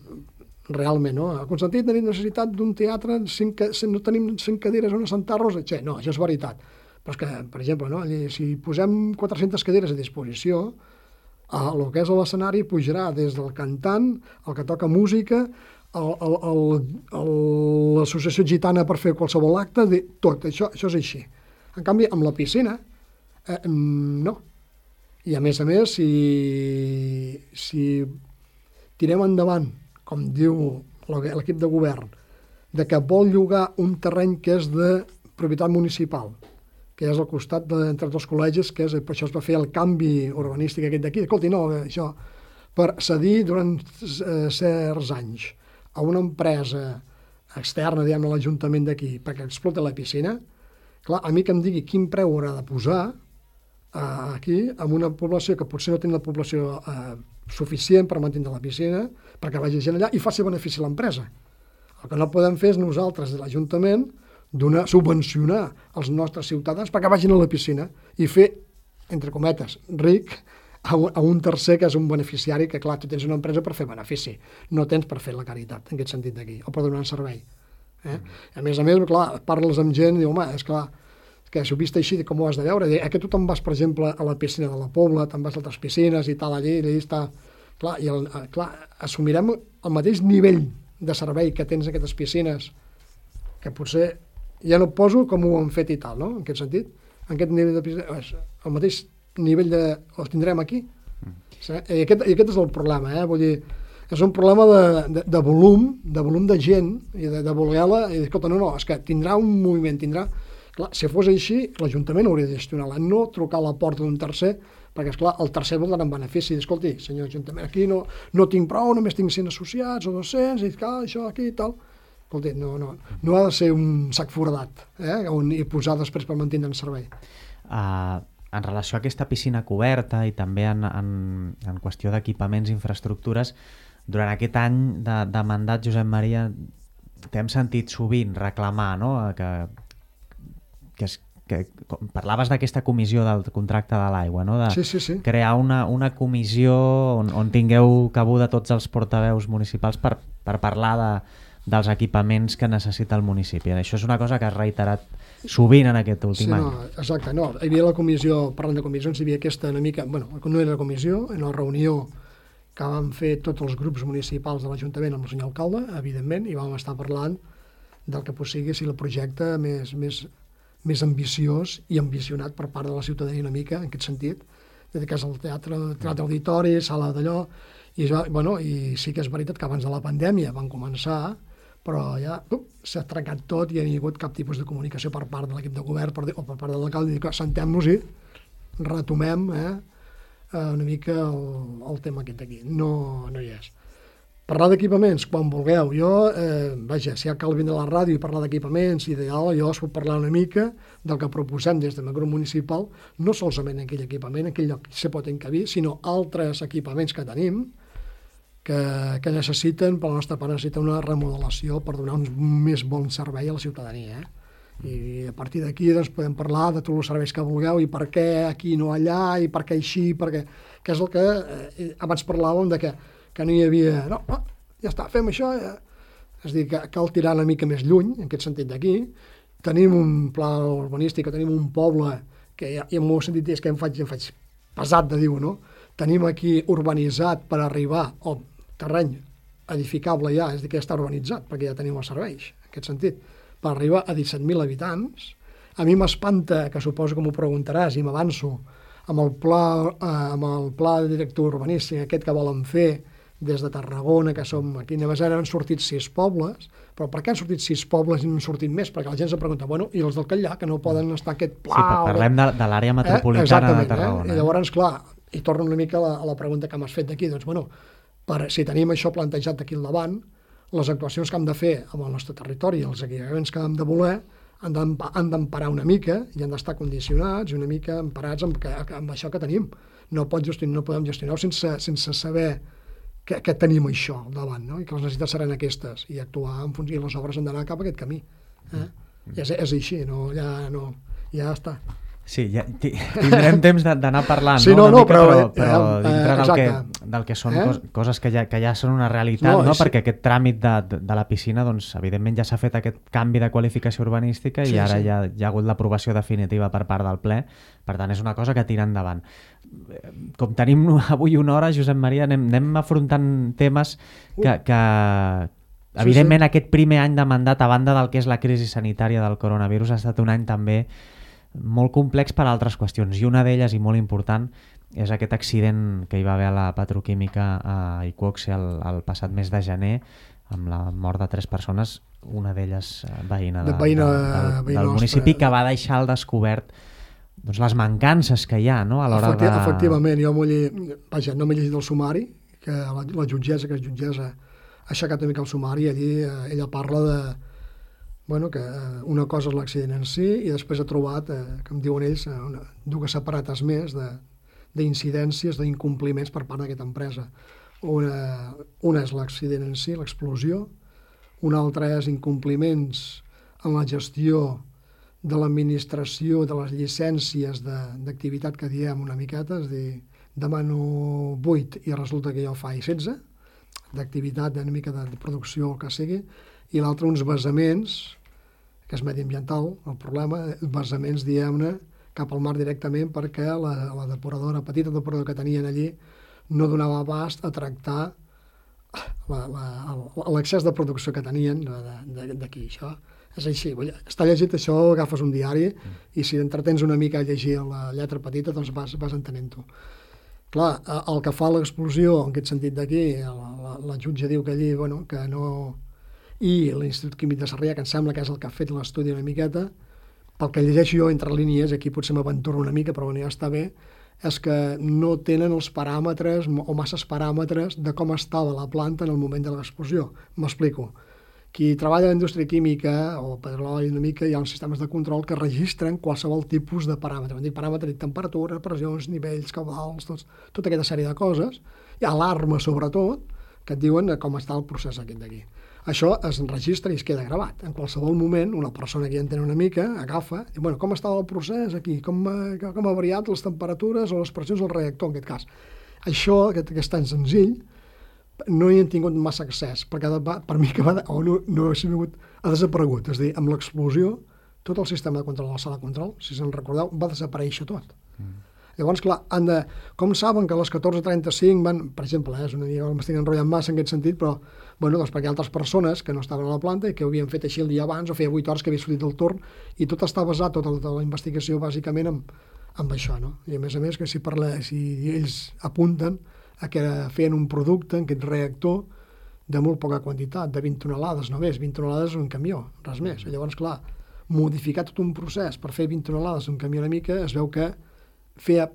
realment, no? A Constantí tenim necessitat d'un teatre, cinc, no tenim cinc cadires on assentar-nos, etcètera. No, això és veritat. Però és que, per exemple, no? Si posem quatre-centes cadires a disposició, el que és l'escenari pujarà des del cantant, el que toca música, l'associació gitana per fer qualsevol acte, tot, això, això és així. En canvi, amb la piscina, eh, no. I a més a més, si, si tirem endavant, com diu l'equip de govern, de que vol llogar un terreny que és de propietat municipal, que és al costat de, entre els col·legis, que és, per això es va fer el canvi urbanístic aquest d'aquí. Escolti, no, això, per cedir durant eh, certs anys a una empresa externa, diguem, a l'Ajuntament d'aquí, perquè explota la piscina, clar, a mi que em digui quin preu haurà de posar eh, aquí, amb una població que potser no té la població eh, suficient per mantenir la piscina, perquè vagi gent allà i faci benefici a l'empresa. El que no podem fer és nosaltres, de l'Ajuntament, donar, subvencionar els nostres ciutadans perquè vagin a la piscina i fer, entre cometes, ric a un, a un tercer que és un beneficiari que, clar, tu tens una empresa per fer benefici, no tens per fer la caritat, en aquest sentit d'aquí, o per donar un servei. Eh? A més a més, clar, parles amb gent i diu, home, és clar, que si ho vist així, com ho has de veure? Eh, que tu te'n vas, per exemple, a la piscina de la Pobla, te'n vas a altres piscines i tal, allí, allà està... Clar, i el, clar, assumirem el mateix nivell de servei que tens en aquestes piscines, que potser ja no poso com ho han fet i tal, no?, en aquest sentit. En aquest nivell de piscines, el mateix nivell de... els tindrem aquí. Mm. I, aquest, I aquest és el problema, eh? Vull dir, és un problema de, de, de volum, de volum de gent, i de, de voler-la, i escolta, no, no, és que tindrà un moviment, tindrà... Clar, si fos així, l'Ajuntament hauria de gestionar-la, no trucar a la porta d'un tercer, perquè, esclar, el tercer vol donar en benefici. Escolti, senyor Ajuntament, aquí no, no tinc prou, només tinc cent associats o dos-cents, i clar, això aquí i tal. Escolti, no, no, no ha de ser un sac foradat, eh, on, i posar després per mantenir en servei. Uh, en relació a aquesta piscina coberta i també en, en, en qüestió d'equipaments i infraestructures, durant aquest any de, de mandat, Josep Maria, t'hem sentit sovint reclamar, no?, que que, es, que parlaves d'aquesta comissió del contracte de l'aigua, no? De sí, sí, sí. crear una, una comissió on, on tingueu cabuda tots els portaveus municipals per, per parlar de, dels equipaments que necessita el municipi. Això és una cosa que has reiterat sovint en aquest últim sí, any. No, exacte, no. Hi havia la comissió, parlant de comissions, hi havia aquesta una mica, bueno, no era la comissió, en la reunió que vam fer tots els grups municipals de l'Ajuntament amb el senyor alcalde, evidentment, i vam estar parlant del que pot sigui si el projecte més... més més ambiciós i ambicionat per part de la ciutadania una mica, en aquest sentit, des que és el teatre, teatre auditori, sala d'allò, i, ja, bueno, i sí que és veritat que abans de la pandèmia van començar, però ja uh, s'ha trencat tot i no hi ha hagut cap tipus de comunicació per part de l'equip de govern per, o per part de l'alcalde, i sentem-nos i retomem eh, una mica el, el tema aquest aquí. No, no hi és. Parlar d'equipaments, quan vulgueu. Jo, eh, vaja, si cal vindre a la ràdio i parlar d'equipaments, ideal, jo us puc parlar una mica del que proposem des del grup municipal, no solament aquell equipament, aquell lloc que se pot encabir, sinó altres equipaments que tenim que, que necessiten, per la nostra part, necessiten una remodelació per donar un més bon servei a la ciutadania. Eh? I a partir d'aquí doncs, podem parlar de tots els serveis que vulgueu i per què aquí no allà, i per què així, perquè, que és el que eh, abans parlàvem de que que no hi havia... No, no, ja està, fem això. Ja. És a dir, que cal tirar una mica més lluny, en aquest sentit d'aquí. Tenim un pla urbanístic, tenim un poble, que ja, i en el meu sentit és que em faig, em faig pesat de dir-ho, no? Tenim aquí urbanitzat per arribar, o terreny edificable ja, és a dir, que ja està urbanitzat, perquè ja tenim els serveis, en aquest sentit, per arribar a disset mil habitants. A mi m'espanta, que suposo que m'ho preguntaràs, i m'avanço, amb el pla, eh, amb el pla director urbanístic, aquest que volen fer, des de Tarragona, que som aquí, només han sortit sis pobles, però per què han sortit sis pobles i no han sortit més? Perquè la gent se pregunta, bueno, i els del Catllà, que no poden estar aquest pla... Sí, parlem de, de l'àrea metropolitana eh? de Tarragona. Eh? I llavors, clar, i torno una mica a la, a la pregunta que m'has fet d'aquí, doncs, bueno, per, si tenim això plantejat d'aquí al davant, les actuacions que hem de fer amb el nostre territori, els equipaments que hem de voler, han d'emparar una mica i han d'estar condicionats i una mica emparats amb, amb això que tenim. No, pot gestionar, no podem gestionar sense, sense saber que, que tenim això al davant, no? I que les necessitats seran aquestes, i actuar en funció, i les obres han d'anar cap a aquest camí. Eh? Mm. I és, és així, no, ja, no, ja està. Sí, ja, tindrem temps d'anar parlant, sí, no? no, no, mica, però, però, però eh, dintre del que, exacte. del que són Eh? cos, coses que ja, que ja són una realitat, No, no? és- Perquè aquest tràmit de, de, de la piscina, doncs, evidentment ja s'ha fet aquest canvi de qualificació urbanística i Sí, ara sí. ja, ja ha hagut l'aprovació definitiva per part del ple, per tant és una cosa que tira endavant. Com tenim avui una hora, Josep Maria, anem, anem afrontant temes que, que evidentment sí. aquest primer any de mandat, a banda del que és la crisi sanitària del coronavirus, ha estat un any també molt complex per altres qüestions, i una d'elles, i molt important, és aquest accident que hi va haver a la petroquímica a Iqoxe el, el passat mes de gener, amb la mort de tres persones, una d'elles veïna, de, De veïna, de, del, veïna del municipi, que va deixar al descobert doncs, les mancances que hi ha, no? A l'hora Efecti de... Efectivament, jo m'ho he, vaja, no m'he llegit el sumari, que la, la jutgessa, que és jutgessa, ha aixecat una mica el sumari, allí eh, ella parla de, bueno, que una cosa és l'accident en si i després ha trobat, eh, com diuen ells, una, dues separates més d'incidències, d'incompliments per part d'aquesta empresa. Una, una és l'accident en si, l'explosió, una altra és incompliments en la gestió de l'administració de les llicències d'activitat que diem una miqueta, és a dir, demano vuit i resulta que jo faig setze, d'activitat, una mica de, de producció, el que sigui, i l'altre uns vessaments, que és mediambiental, el problema, vessaments, diguem-ne, cap al mar directament perquè la, la depuradora, la petita depuradora que tenien allí no donava abast a tractar l'excés de producció que tenien d'aquí. Això és així. Està llegit això, agafes un diari i si t'entretens una mica a llegir la lletra petita, doncs vas, vas entenent-ho. Clar, el que fa l'explosió, en aquest sentit d'aquí, la, la, la jutge diu que allí, bueno, que no... I l'Institut Químic de Sarrià, que em sembla que és el que ha fet l'estudi una miqueta, pel que llegeixo jo entre línies, aquí potser m'aventuro una mica, però bueno, ja està bé, és que no tenen els paràmetres o masses paràmetres de com estava la planta en el moment de l'explosió. M'explico. Qui treballa en la indústria química o petroli una mica, hi ha uns sistemes de control que registren qualsevol tipus de paràmetre. Dic paràmetre de temperatura, pressions, nivells, caudals, tots, tota aquesta sèrie de coses. Hi ha alarmes, sobretot, que et diuen com està el procés aquest d'aquí. Això es registra i es queda gravat. En qualsevol moment, una persona que ja entén una mica, agafa, i bueno, com estava el procés aquí, com, com ha variat les temperatures o les pressions del reactor, en aquest cas. Això, que, que és tan senzill, no hi han tingut massa accés, perquè va, per mi que va, o no, no ha, sigut, ha desaparegut. És a dir, amb l'explosió, tot el sistema de control de la sala de control, si se'n recordeu, va desaparèixer tot. Mm. Llavors, clar, han de, com saben que a les catorze trenta-cinc van, per exemple, eh, és una mica, m'estic enrotllant massa en aquest sentit, però bueno, doncs perquè hi ha altres persones que no estaven a la planta i que ho havien fet així el dia abans o feia vuit hores que havia sortit del torn i tot està basat, tota la, tota la investigació bàsicament amb, amb això, no? I a més a més que si, parla, si ells apunten a que feien un producte en aquest reactor de molt poca quantitat, de vint tonelades només, vint tonelades un camió, res més. I llavors, clar, modificar tot un procés per fer vint tonelades un camió una mica, es veu que feia,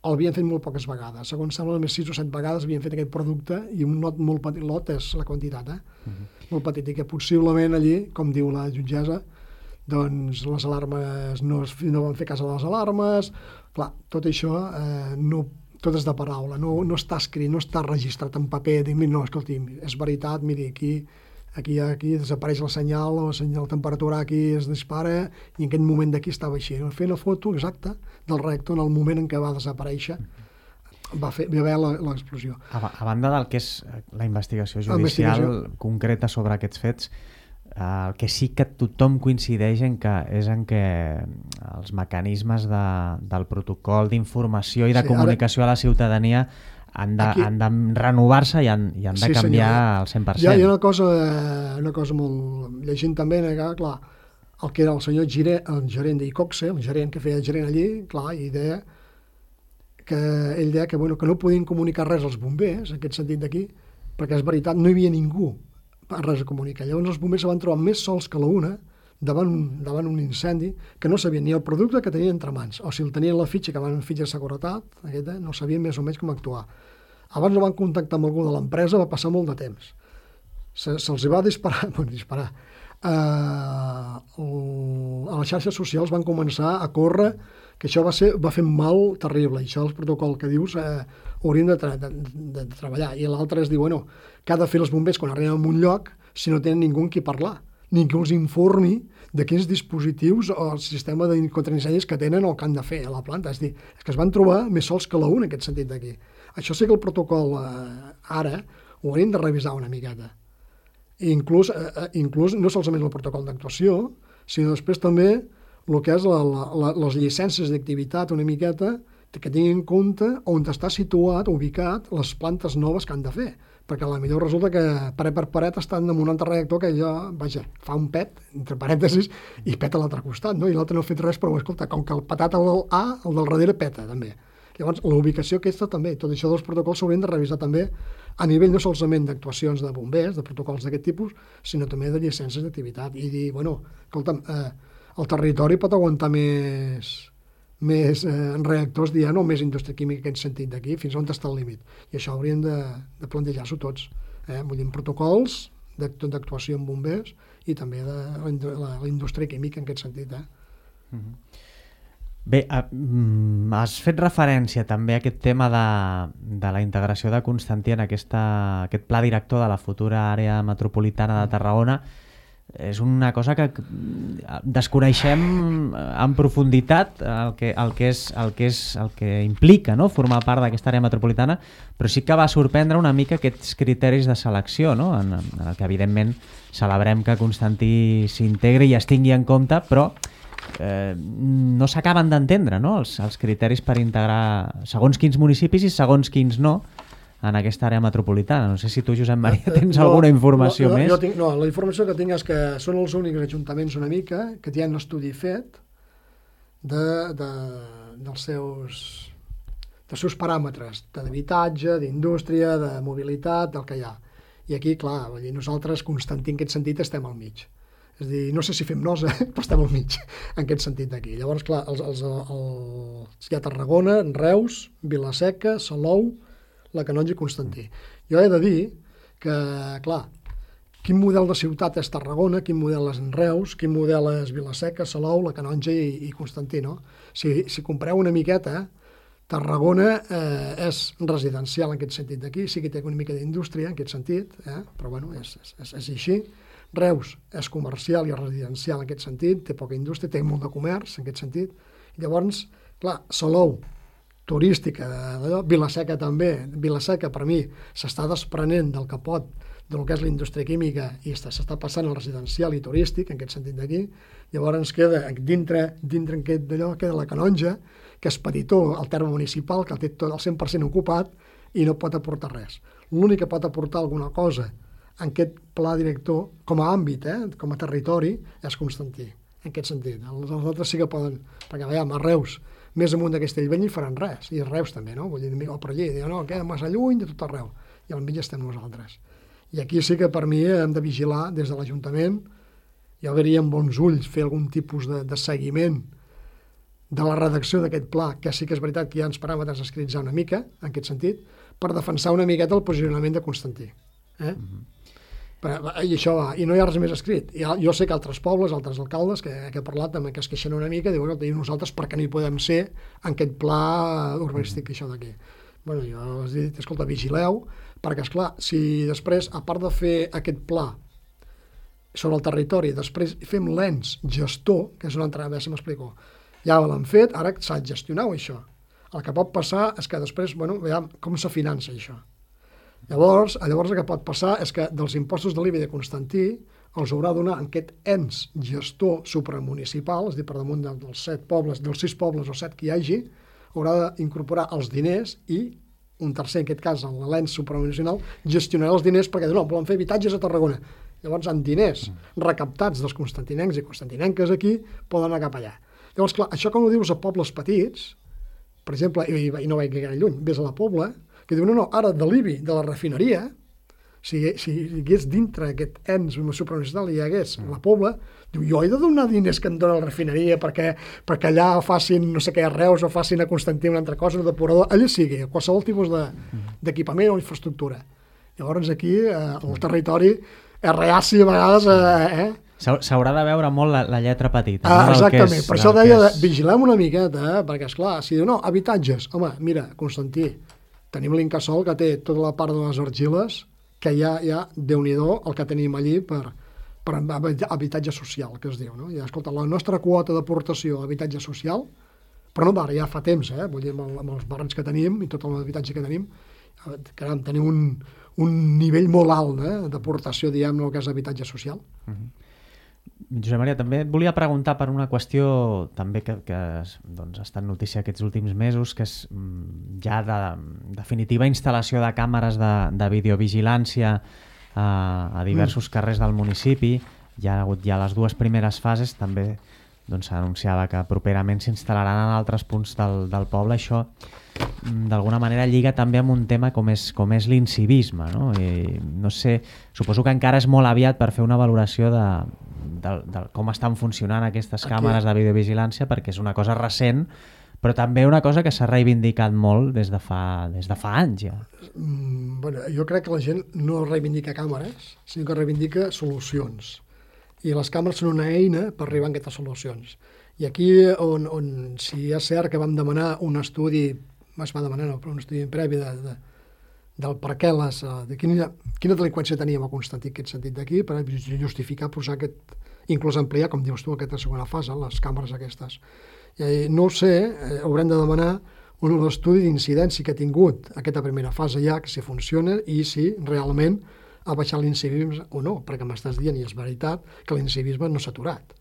el havien fet molt poques vegades. Segons sembla, només sis o set vegades havien fet aquest producte i un lot molt petit, lot és la quantitat, eh? Uh-huh. Molt petit, i que possiblement allí, com diu la jutgessa, doncs les alarmes no, es, no van fer cas a les alarmes, clar, tot això eh, no, tot és de paraula, no, no està escrit, no està registrat en paper, dic, no, escolti, és veritat, miri, aquí Aquí, aquí desapareix el senyal, la senyal de temperatura aquí es dispara i en aquest moment d'aquí estava així. Fer la foto exacta del reactor en el moment en què va desaparèixer va, fer, va haver l'explosió. A, a banda del que és la investigació judicial investigació. concreta sobre aquests fets, el que sí que tothom coincideix en que és en què els mecanismes de, del protocol d'informació i de sí, comunicació ara... a la ciutadania han de, Aquí... han de renovar-se i han, i han de sí, canviar senyor. Al cent per cent. Ja hi ha una cosa, una cosa molt... Llegint també, que, clar, el que era el senyor Gire, el gerent d'Iqoxe, el gerent que feia el gerent allí, clar, i deia que ell deia que, bueno, que no podien comunicar res als bombers, en aquest sentit d'aquí, perquè és veritat, no hi havia ningú per res a comunicar. Llavors els bombers se van trobar més sols que la una davant un, davant un incendi que no sabien ni el producte que tenien entre mans, o si el tenien la fitxa, que van en fitxa de seguretat, aquesta, no sabien més o menys com actuar. Abans no van contactar amb algú de l'empresa, va passar molt de temps. Se, se'ls va disparar, bueno, disparar. Uh, el, a les xarxes socials van començar a córrer, que això va, ser, va fer mal terrible, i això el protocol que dius eh, haurien de, tra de, de, de treballar. I l'altre és dir, bueno, què ha de fer els bombers quan arriben a un lloc si no tenen ningú amb qui parlar? ni que els informi de quins dispositius o el sistema de contraincendis que tenen o que han de fer a la planta. És dir, és que es van trobar més sols que la un en aquest sentit d'aquí. Això sí que el protocol eh, ara ho hauríem de revisar una miqueta. I inclús, eh, inclús no solament el protocol d'actuació, sinó després també el que és la, la, les llicències d'activitat una miqueta que tinguin en compte on està situat, ubicat, les plantes noves que han de fer. Perquè a la millor resulta que paret per paret estan damunt un altre reactor que allò, vaja, fa un pet, entre parèntesis, i peta a l'altre costat, no? I l'altre no ha fet res, però escolta, com que el petat el A, el del darrere peta, també. Llavors, la ubicació aquesta també, tot això dels protocols s'haurien de revisar també a nivell no solament d'actuacions de bombers, de protocols d'aquest tipus, sinó també de llicències d'activitat. I dir, bueno, escolta'm, eh, el territori pot aguantar més... més eh, reactors dient o més indústria química en aquest sentit d'aquí, fins on està el límit. I això hauríem de, de plantejar-s'ho tots. Eh? Vull dir, protocols d'actuació amb bombers i també de la, la, la indústria química en aquest sentit. Eh? Mm-hmm. Bé, uh, has fet referència també a aquest tema de, de la integració de Constantí en aquesta, aquest pla director de la futura àrea metropolitana de Tarragona. És una cosa que desconeixem en profunditat el que, el que, és, el que, és, el que implica, no?, formar part d'aquesta àrea metropolitana, però sí que va sorprendre una mica aquests criteris de selecció, no?, en, en el que evidentment celebrem que Constantí s'integri i es tingui en compte, però eh, no s'acaben d'entendre, no?, els, els criteris per integrar segons quins municipis i segons quins no en aquesta àrea metropolitana. No sé si tu, Josep Maria, tens no, alguna informació no, no, més? Jo tinc, no, la informació que tinc és que són els únics ajuntaments una mica que tenen un estudi fet de, de, dels, seus, dels seus paràmetres d'habitatge, d'indústria, de mobilitat, del que hi ha. I aquí, clar, vull dir, nosaltres, Constantí, en aquest sentit, estem al mig. És a dir, no sé si fem nosa, però estem al mig, en aquest sentit d'aquí. Llavors, clar, els, els, els, hi ha Tarragona, Reus, Vila-seca, Salou, la Canonja i Constantí. Jo he de dir que, clar, quin model de ciutat és Tarragona, quin model és Reus, quin model és Vila-seca, Salou, la Canonja i, i Constantí, no? Si, si compreu una miqueta, Tarragona eh, és residencial en aquest sentit d'aquí, sí que té una mica d'indústria en aquest sentit, eh? Però bueno, és, és, és així. Reus és comercial i residencial en aquest sentit, té poca indústria, té molt de comerç en aquest sentit. I llavors, clar, Salou, turística, d'allò. Vila-seca també. Vila-seca, per mi, s'està desprenent del capot del que és la indústria química i s'està passant al residencial i turístic, en aquest sentit d'aquí. Llavors ens queda dintre, dintre aquest d'allò, queda la Canonja, que és petitó, el terme municipal, que el té tot el cent per cent ocupat i no pot aportar res. L'únic que pot aportar alguna cosa en aquest pla director, com a àmbit, eh, com a territori, és Constantí, en aquest sentit. Els altres sí que poden, perquè veiem, a Reus, més amunt de Castellbell hi faran res, i a Reus també, no? Vull dir, o per allí, diuen, no, queda massa lluny de tot arreu, i al mig estem nosaltres. I aquí sí que per mi hem de vigilar des de l'Ajuntament, jo veuria amb bons ulls fer algun tipus de, de seguiment de la redacció d'aquest pla, que sí que és veritat que hi ha uns paràmetres escrits ja una mica, en aquest sentit, per defensar una miqueta el posicionament de Constantí. Eh? Mm-hmm. Per, i això va, i no hi ha res més escrit. I jo sé que altres pobles, altres alcaldes que, que he parlat també, que es queixen una mica, diuen, i nosaltres per què no hi podem ser en aquest pla urbanístic, mm-hmm. això d'aquí. Bueno, jo els he dit, escolta, vigileu, perquè, esclar, si després, a part de fer aquest pla sobre el territori, després fem l'ens gestor, que és una altra, a veure si m'explico, ja l'han fet, ara s'ha de gestionar això. El que pot passar és que després, bueno, veiem com se finança això. Llavors, llavors el que pot passar és que dels impostos de l'I B I de Constantí els haurà de donar aquest ens gestor supramunicipal, és a dir, per damunt dels set pobles, dels sis pobles o set que hi hagi, haurà d'incorporar els diners i un tercer, en aquest cas, l'ens supramunicipal, gestionarà els diners perquè no, volen fer habitatges a Tarragona. Llavors, amb diners recaptats dels constantinencs i constantinenques aquí, poden anar cap allà. Llavors, clar, això com ho dius a pobles petits, per exemple, i, i no vaig gaire lluny, ves a la Pobla, que diu, no, no, ara de l'I B I, de la refineria, si, si hi hagués dintre aquest ens supramunicipal i hi hagués la Pobla, diu, jo he de donar diners que em dona la refineria perquè, perquè allà facin, no sé què, a Reus o facin a Constantí una altra cosa, un depurador, allà sigui, qualsevol tipus d'equipament o infraestructura. Llavors aquí eh, el territori és reaci a vegades, eh, eh? S'haurà de veure molt la, la lletra petita. Ah, no? exactament, és, per això deia, és... vigilem una miqueta, eh? Perquè esclar, si diu, no, habitatges, home, mira, Constantí, tenim l'Incasòl que té tota la part de les argiles, que ja, ja Déu-n'hi-do, el que tenim allí per, per habitatge social, que es diu, no? I, escolta, la nostra quota d'aportació a habitatge social, però no d'ara, ja fa temps, eh? Vull dir, amb, el, amb els barris que tenim i tot l'habitatge que tenim, caram, tenim un, un nivell molt alt eh? d'aportació, diguem, el que és habitatge social. Mm-hmm. Josep Maria, també et volia preguntar per una qüestió també que, que doncs, ha estat notícia aquests últims mesos, que és ja de definitiva instal·lació de càmeres de, de videovigilància a, a diversos mm. carrers del municipi. Hi ha hagut ja les dues primeres fases, també doncs, s'anunciava que properament s'instal·laran en altres punts del, del poble. Això d'alguna manera lliga també amb un tema com és, com és l'incivisme, no? I, no sé, suposo que encara és molt aviat per fer una valoració de, de, de com estan funcionant aquestes Aquí. càmeres de videovigilància, perquè és una cosa recent, però també una cosa que s'ha reivindicat molt des de fa, des de fa anys ja. Mm, bueno, jo crec que la gent no reivindica càmeres, sinó que reivindica solucions. I les càmeres són una eina per arribar a aquestes solucions. I aquí on, on si és cert que vam demanar un estudi, es va demanar no, però un estudi previ de, de, del per què les, de quina, quina delinqüència teníem a Constantí, aquest sentit d'aquí, per justificar posar aquest, inclús ampliar, com dius tu, aquesta segona fase, les càmeres aquestes. I, no ho sé, eh, haurem de demanar un estudi d'incidència que ha tingut aquesta primera fase ja, que si funciona i si realment ha baixat l'incivisme o no, perquè m'estàs dient, i és veritat, que l'incivisme no s'ha aturat.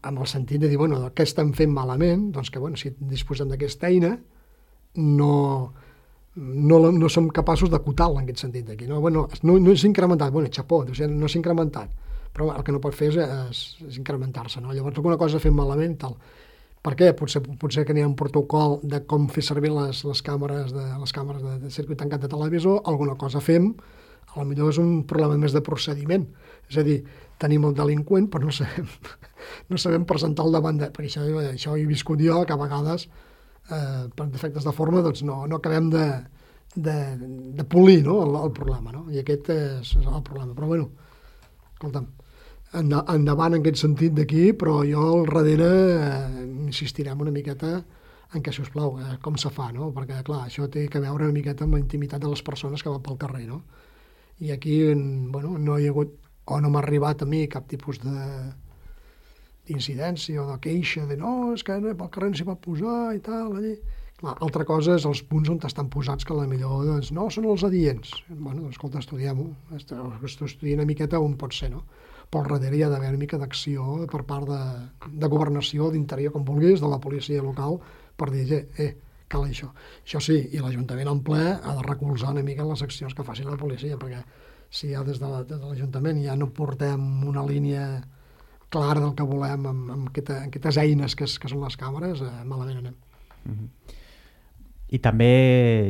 Amb el sentit de dir, bueno, què estem fent malament? Doncs que, bueno, si disposem d'aquesta eina, no, no, no som capaços d'acotar-la en aquest sentit d'aquí. No, bueno, no, no és incrementat, bueno, xapó, no s'ha incrementat, però el que no pot fer és, és, és incrementar-se, no? Llavors, alguna cosa fem malament, tal. Per què? Potser, potser que n'hi ha un protocol de com fer servir les, les càmeres, de, les càmeres de, de circuit tancat de televisor, alguna cosa fem, a lo millor és un problema més de procediment. És a dir, tenim el delinqüent, però no sabem, no sabem presentar el davant de... Perquè això, això he viscut jo, que a vegades, eh, per defectes de forma, doncs no, no acabem de, de, de polir no? el, el problema. No? I aquest és, és el problema. Però, bueno, escolta'm, endavant en aquest sentit d'aquí, però jo al darrere eh, insistirem una miqueta en què, sisplau, eh, com se fa, no? Perquè, clar, això té que veure una miqueta amb la intimitat de les persones que van pel carrer, no? I aquí, bueno, no hi ha hagut, o no m'ha arribat a mi cap tipus de d'incidència o de queixa de no, és que pel carrer no s'hi pot posar i tal, allí. Clar, altra cosa és els punts on estan posats que a la millor, doncs, no, són els adients. Bueno, doncs, escolta, estudiem-ho, estudiem una miqueta on pot ser, no? Però al darrere hi ha d'haver una mica d'acció per part de, de governació, d'interior, com vulguis, de la policia local, per dir, eh, eh, cal això. Això sí, i l'Ajuntament en ple ha de recolzar una mica les accions que faci la policia, perquè si ja des de l'Ajuntament ja no portem una línia clara del que volem amb, amb aquesta, aquestes eines que, que són les càmeres, eh, malament anem. Mm-hmm. I també,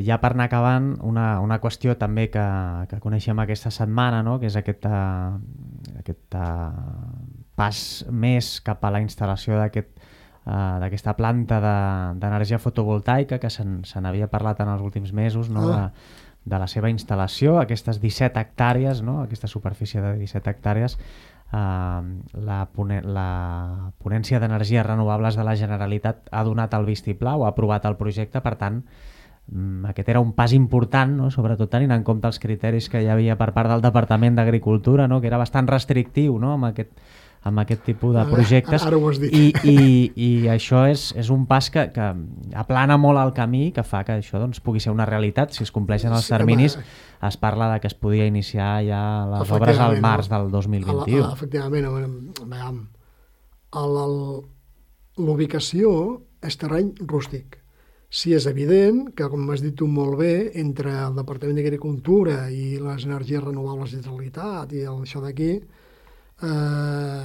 ja per anar acabant, una, una qüestió també que, que coneixem aquesta setmana, no? Que és aquest, uh, aquest uh, pas més cap a la instal·lació d'aquest Uh, d'aquesta planta d'energia de, fotovoltaica que se n'havia parlat en els últims mesos, no? Ah. de, de la seva instal·lació, aquestes disset hectàrees, no? Aquesta superfície de disset hectàrees. Uh, la, pone la Ponència d'Energies Renovables de la Generalitat ha donat el vistiplau, ha aprovat el projecte, per tant, um, aquest era un pas important, no? Sobretot tenint en compte els criteris que hi havia per part del Departament d'Agricultura, no? Que era bastant restrictiu, no? amb aquest amb aquest tipus de projectes. Ara ho has dit. I, i, i això és, és un pas que, que aplana molt el camí, que fa que això doncs, pugui ser una realitat. Si es compleixen els terminis, es parla de que es podia iniciar ja les obres al març del dos mil vint-i-u. Efectivament, l'ubicació és terreny rústic. Sí, és evident que, com has dit tu molt bé, entre el Departament d'Agricultura i les energies renovables de Generalitat i el, això d'aquí, Eh,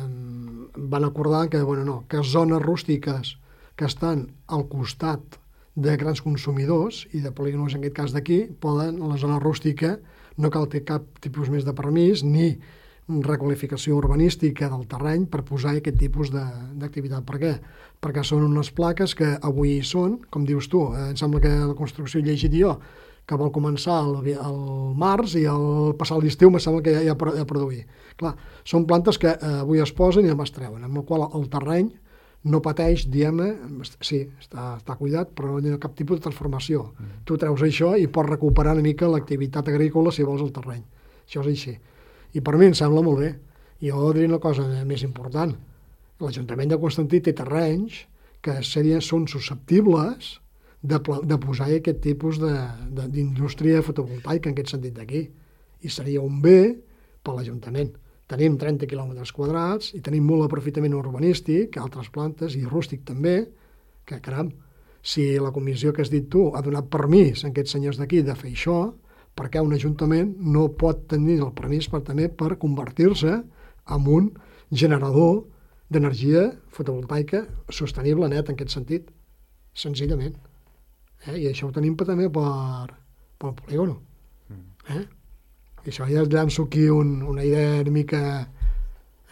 van acordar que, bueno, no, que zones rústiques que estan al costat de grans consumidors i de polígons, en aquest cas d'aquí, poden, a la zona rústica, no cal ter cap tipus més de permís ni requalificació urbanística del terreny per posar aquest tipus d'activitat. Per què? Perquè són unes plaques que avui hi són, com dius tu, eh, em sembla que la construcció he llegit jo, que vol començar al, al març i al passar l'estiu me sembla que ja, ja, ja produir. Clar, són plantes que eh, avui es posen i demà es treuen, amb el qual el terreny no pateix, diguem-ne, sí, està, està cuidat, però no hi ha cap tipus de transformació. Mm. Tu treus això i pots recuperar una mica l'activitat agrícola si vols el terreny. Això és així. I per mi em sembla molt bé. Jo diré una cosa més important. L'Ajuntament de Constantí té terrenys que serien, són susceptibles de, de posar aquest tipus d'indústria fotovoltaica en aquest sentit d'aquí. I seria un bé per l'Ajuntament. Tenim trenta quilòmetres quadrats i tenim molt aprofitament urbanístic, altres plantes, i rústic també, que, caram, si la comissió que has dit tu ha donat permís a aquests senyors d'aquí de fer això, perquè un ajuntament no pot tenir el permís per, també per convertir-se en un generador d'energia fotovoltaica sostenible net en aquest sentit, senzillament. Eh? I això ho tenim també per, per el polígono. Eh? I això ja llanço aquí un, una idea una mica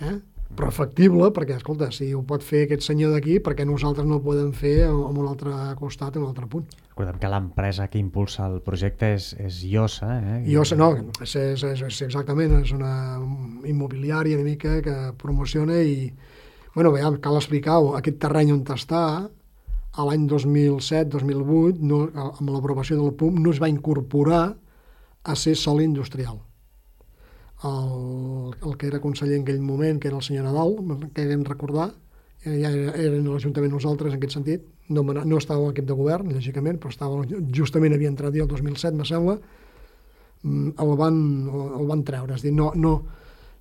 eh? però factible, perquè, escolta, si ho pot fer aquest senyor d'aquí, perquè nosaltres no ho podem fer en un altre costat, en un altre punt. Recordem que l'empresa que impulsa el projecte és, és Iosa. Eh? Iosa, no, és, és, és exactament, és una immobiliària una mica que promociona i, bueno, bé, cal explicar-ho, aquest terreny on està, a l'any dos mil set dos mil vuit, no, amb l'aprovació del P U M, no es va incorporar a ser sòl industrial. El, el que era conseller en aquell moment, que era el senyor Nadal, que vam recordar, ja eren a l'Ajuntament nosaltres en aquest sentit, no, no estava en l'equip de govern, lògicament, però estava, justament havia entrat ja el dos mil set, me sembla, el van, el van treure. És dir, no, no,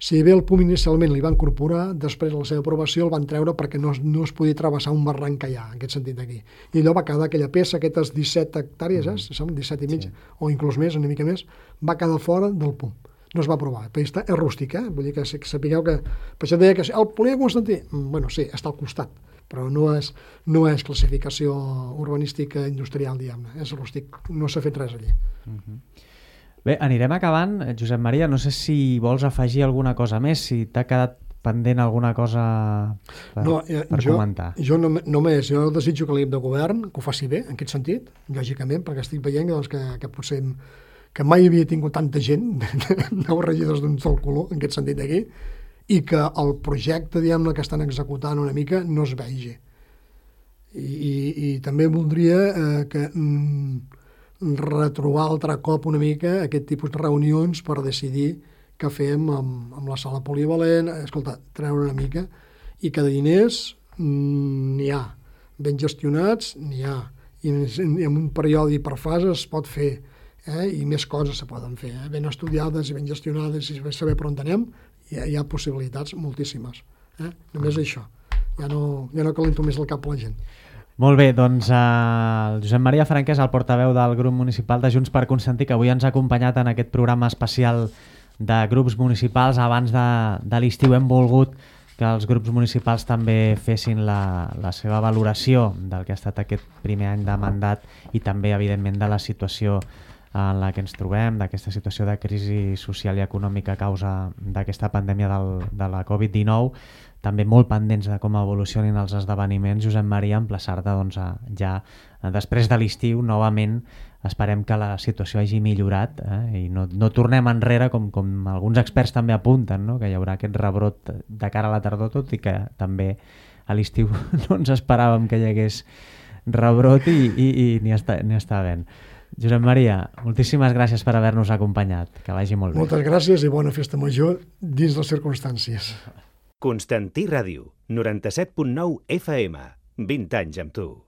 si bé el P U M inicialment li va incorporar, després de la seva aprovació el van treure perquè no, no es podia travessar un barranc que hi ha, en aquest sentit aquí. I allò va quedar aquella peça, aquestes disset hectàrees, eh, som disset i mig, sí, o inclús més, una mica més, va quedar fora del P U M. No es va aprovar. Però està, és rústic, eh? Vull dir que, que sapigueu que... Per això deia que el polígon Constantí, bueno, sí, està al costat, però no és, no és classificació urbanística industrial, diguem-ne. És rústic, no s'ha fet res allí. Uh-huh. Bé, anirem acabant. Josep Maria, no sé si vols afegir alguna cosa més, si t'ha quedat pendent alguna cosa per, no, eh, per jo, comentar. Jo no, només, jo desitjo que l'equip de govern que ho faci bé, en aquest sentit, lògicament, perquè estic veient doncs, que, que potser que mai havia tingut tanta gent, nou regidors d'un sol color, en aquest sentit d'aquí, i que el projecte, diguem-ne, que estan executant una mica no es vegi. I, i, i també voldria eh, que mm, retrobar altre cop una mica aquest tipus de reunions per decidir què fem amb, amb la sala polivalent, escolta, treure una mica, i que de diners mm, n'hi ha, ben gestionats n'hi ha, i en, en un període per fases es pot fer, eh? I més coses se poden fer, eh? Ben estudiades i ben gestionades i saber per on anem, hi ha, hi ha possibilitats moltíssimes. Eh? Només això, ja no, ja no calento més el cap a la gent. Molt bé, doncs eh, el Josep Maria Franquès, el portaveu del grup municipal de Junts per Constantí, que avui ens ha acompanyat en aquest programa especial de grups municipals. Abans de, de l'estiu hem volgut que els grups municipals també fessin la, la seva valoració del que ha estat aquest primer any de mandat i també, evidentment, de la situació en la que ens trobem, d'aquesta situació de crisi social i econòmica a causa d'aquesta pandèmia del, de la covid dinou, també molt pendents de com evolucionin els esdeveniments. Josep Maria, emplaçar-te doncs, a, ja després de l'estiu, novament, esperem que la situació hagi millorat eh? I no, no tornem enrere, com, com alguns experts també apunten, no? Que hi haurà aquest rebrot de cara a la tardor, tot i que també a l'estiu no ens esperàvem que hi hagués rebrot i, i, i n'hi està, n'hi està havent. Josep Maria, moltíssimes gràcies per haver-nos acompanyat. Que vagi molt bé. Moltes gràcies i bona festa major dins les circumstàncies. Constantí Ràdio, noranta-set punt nou F M, vint anys amb tu.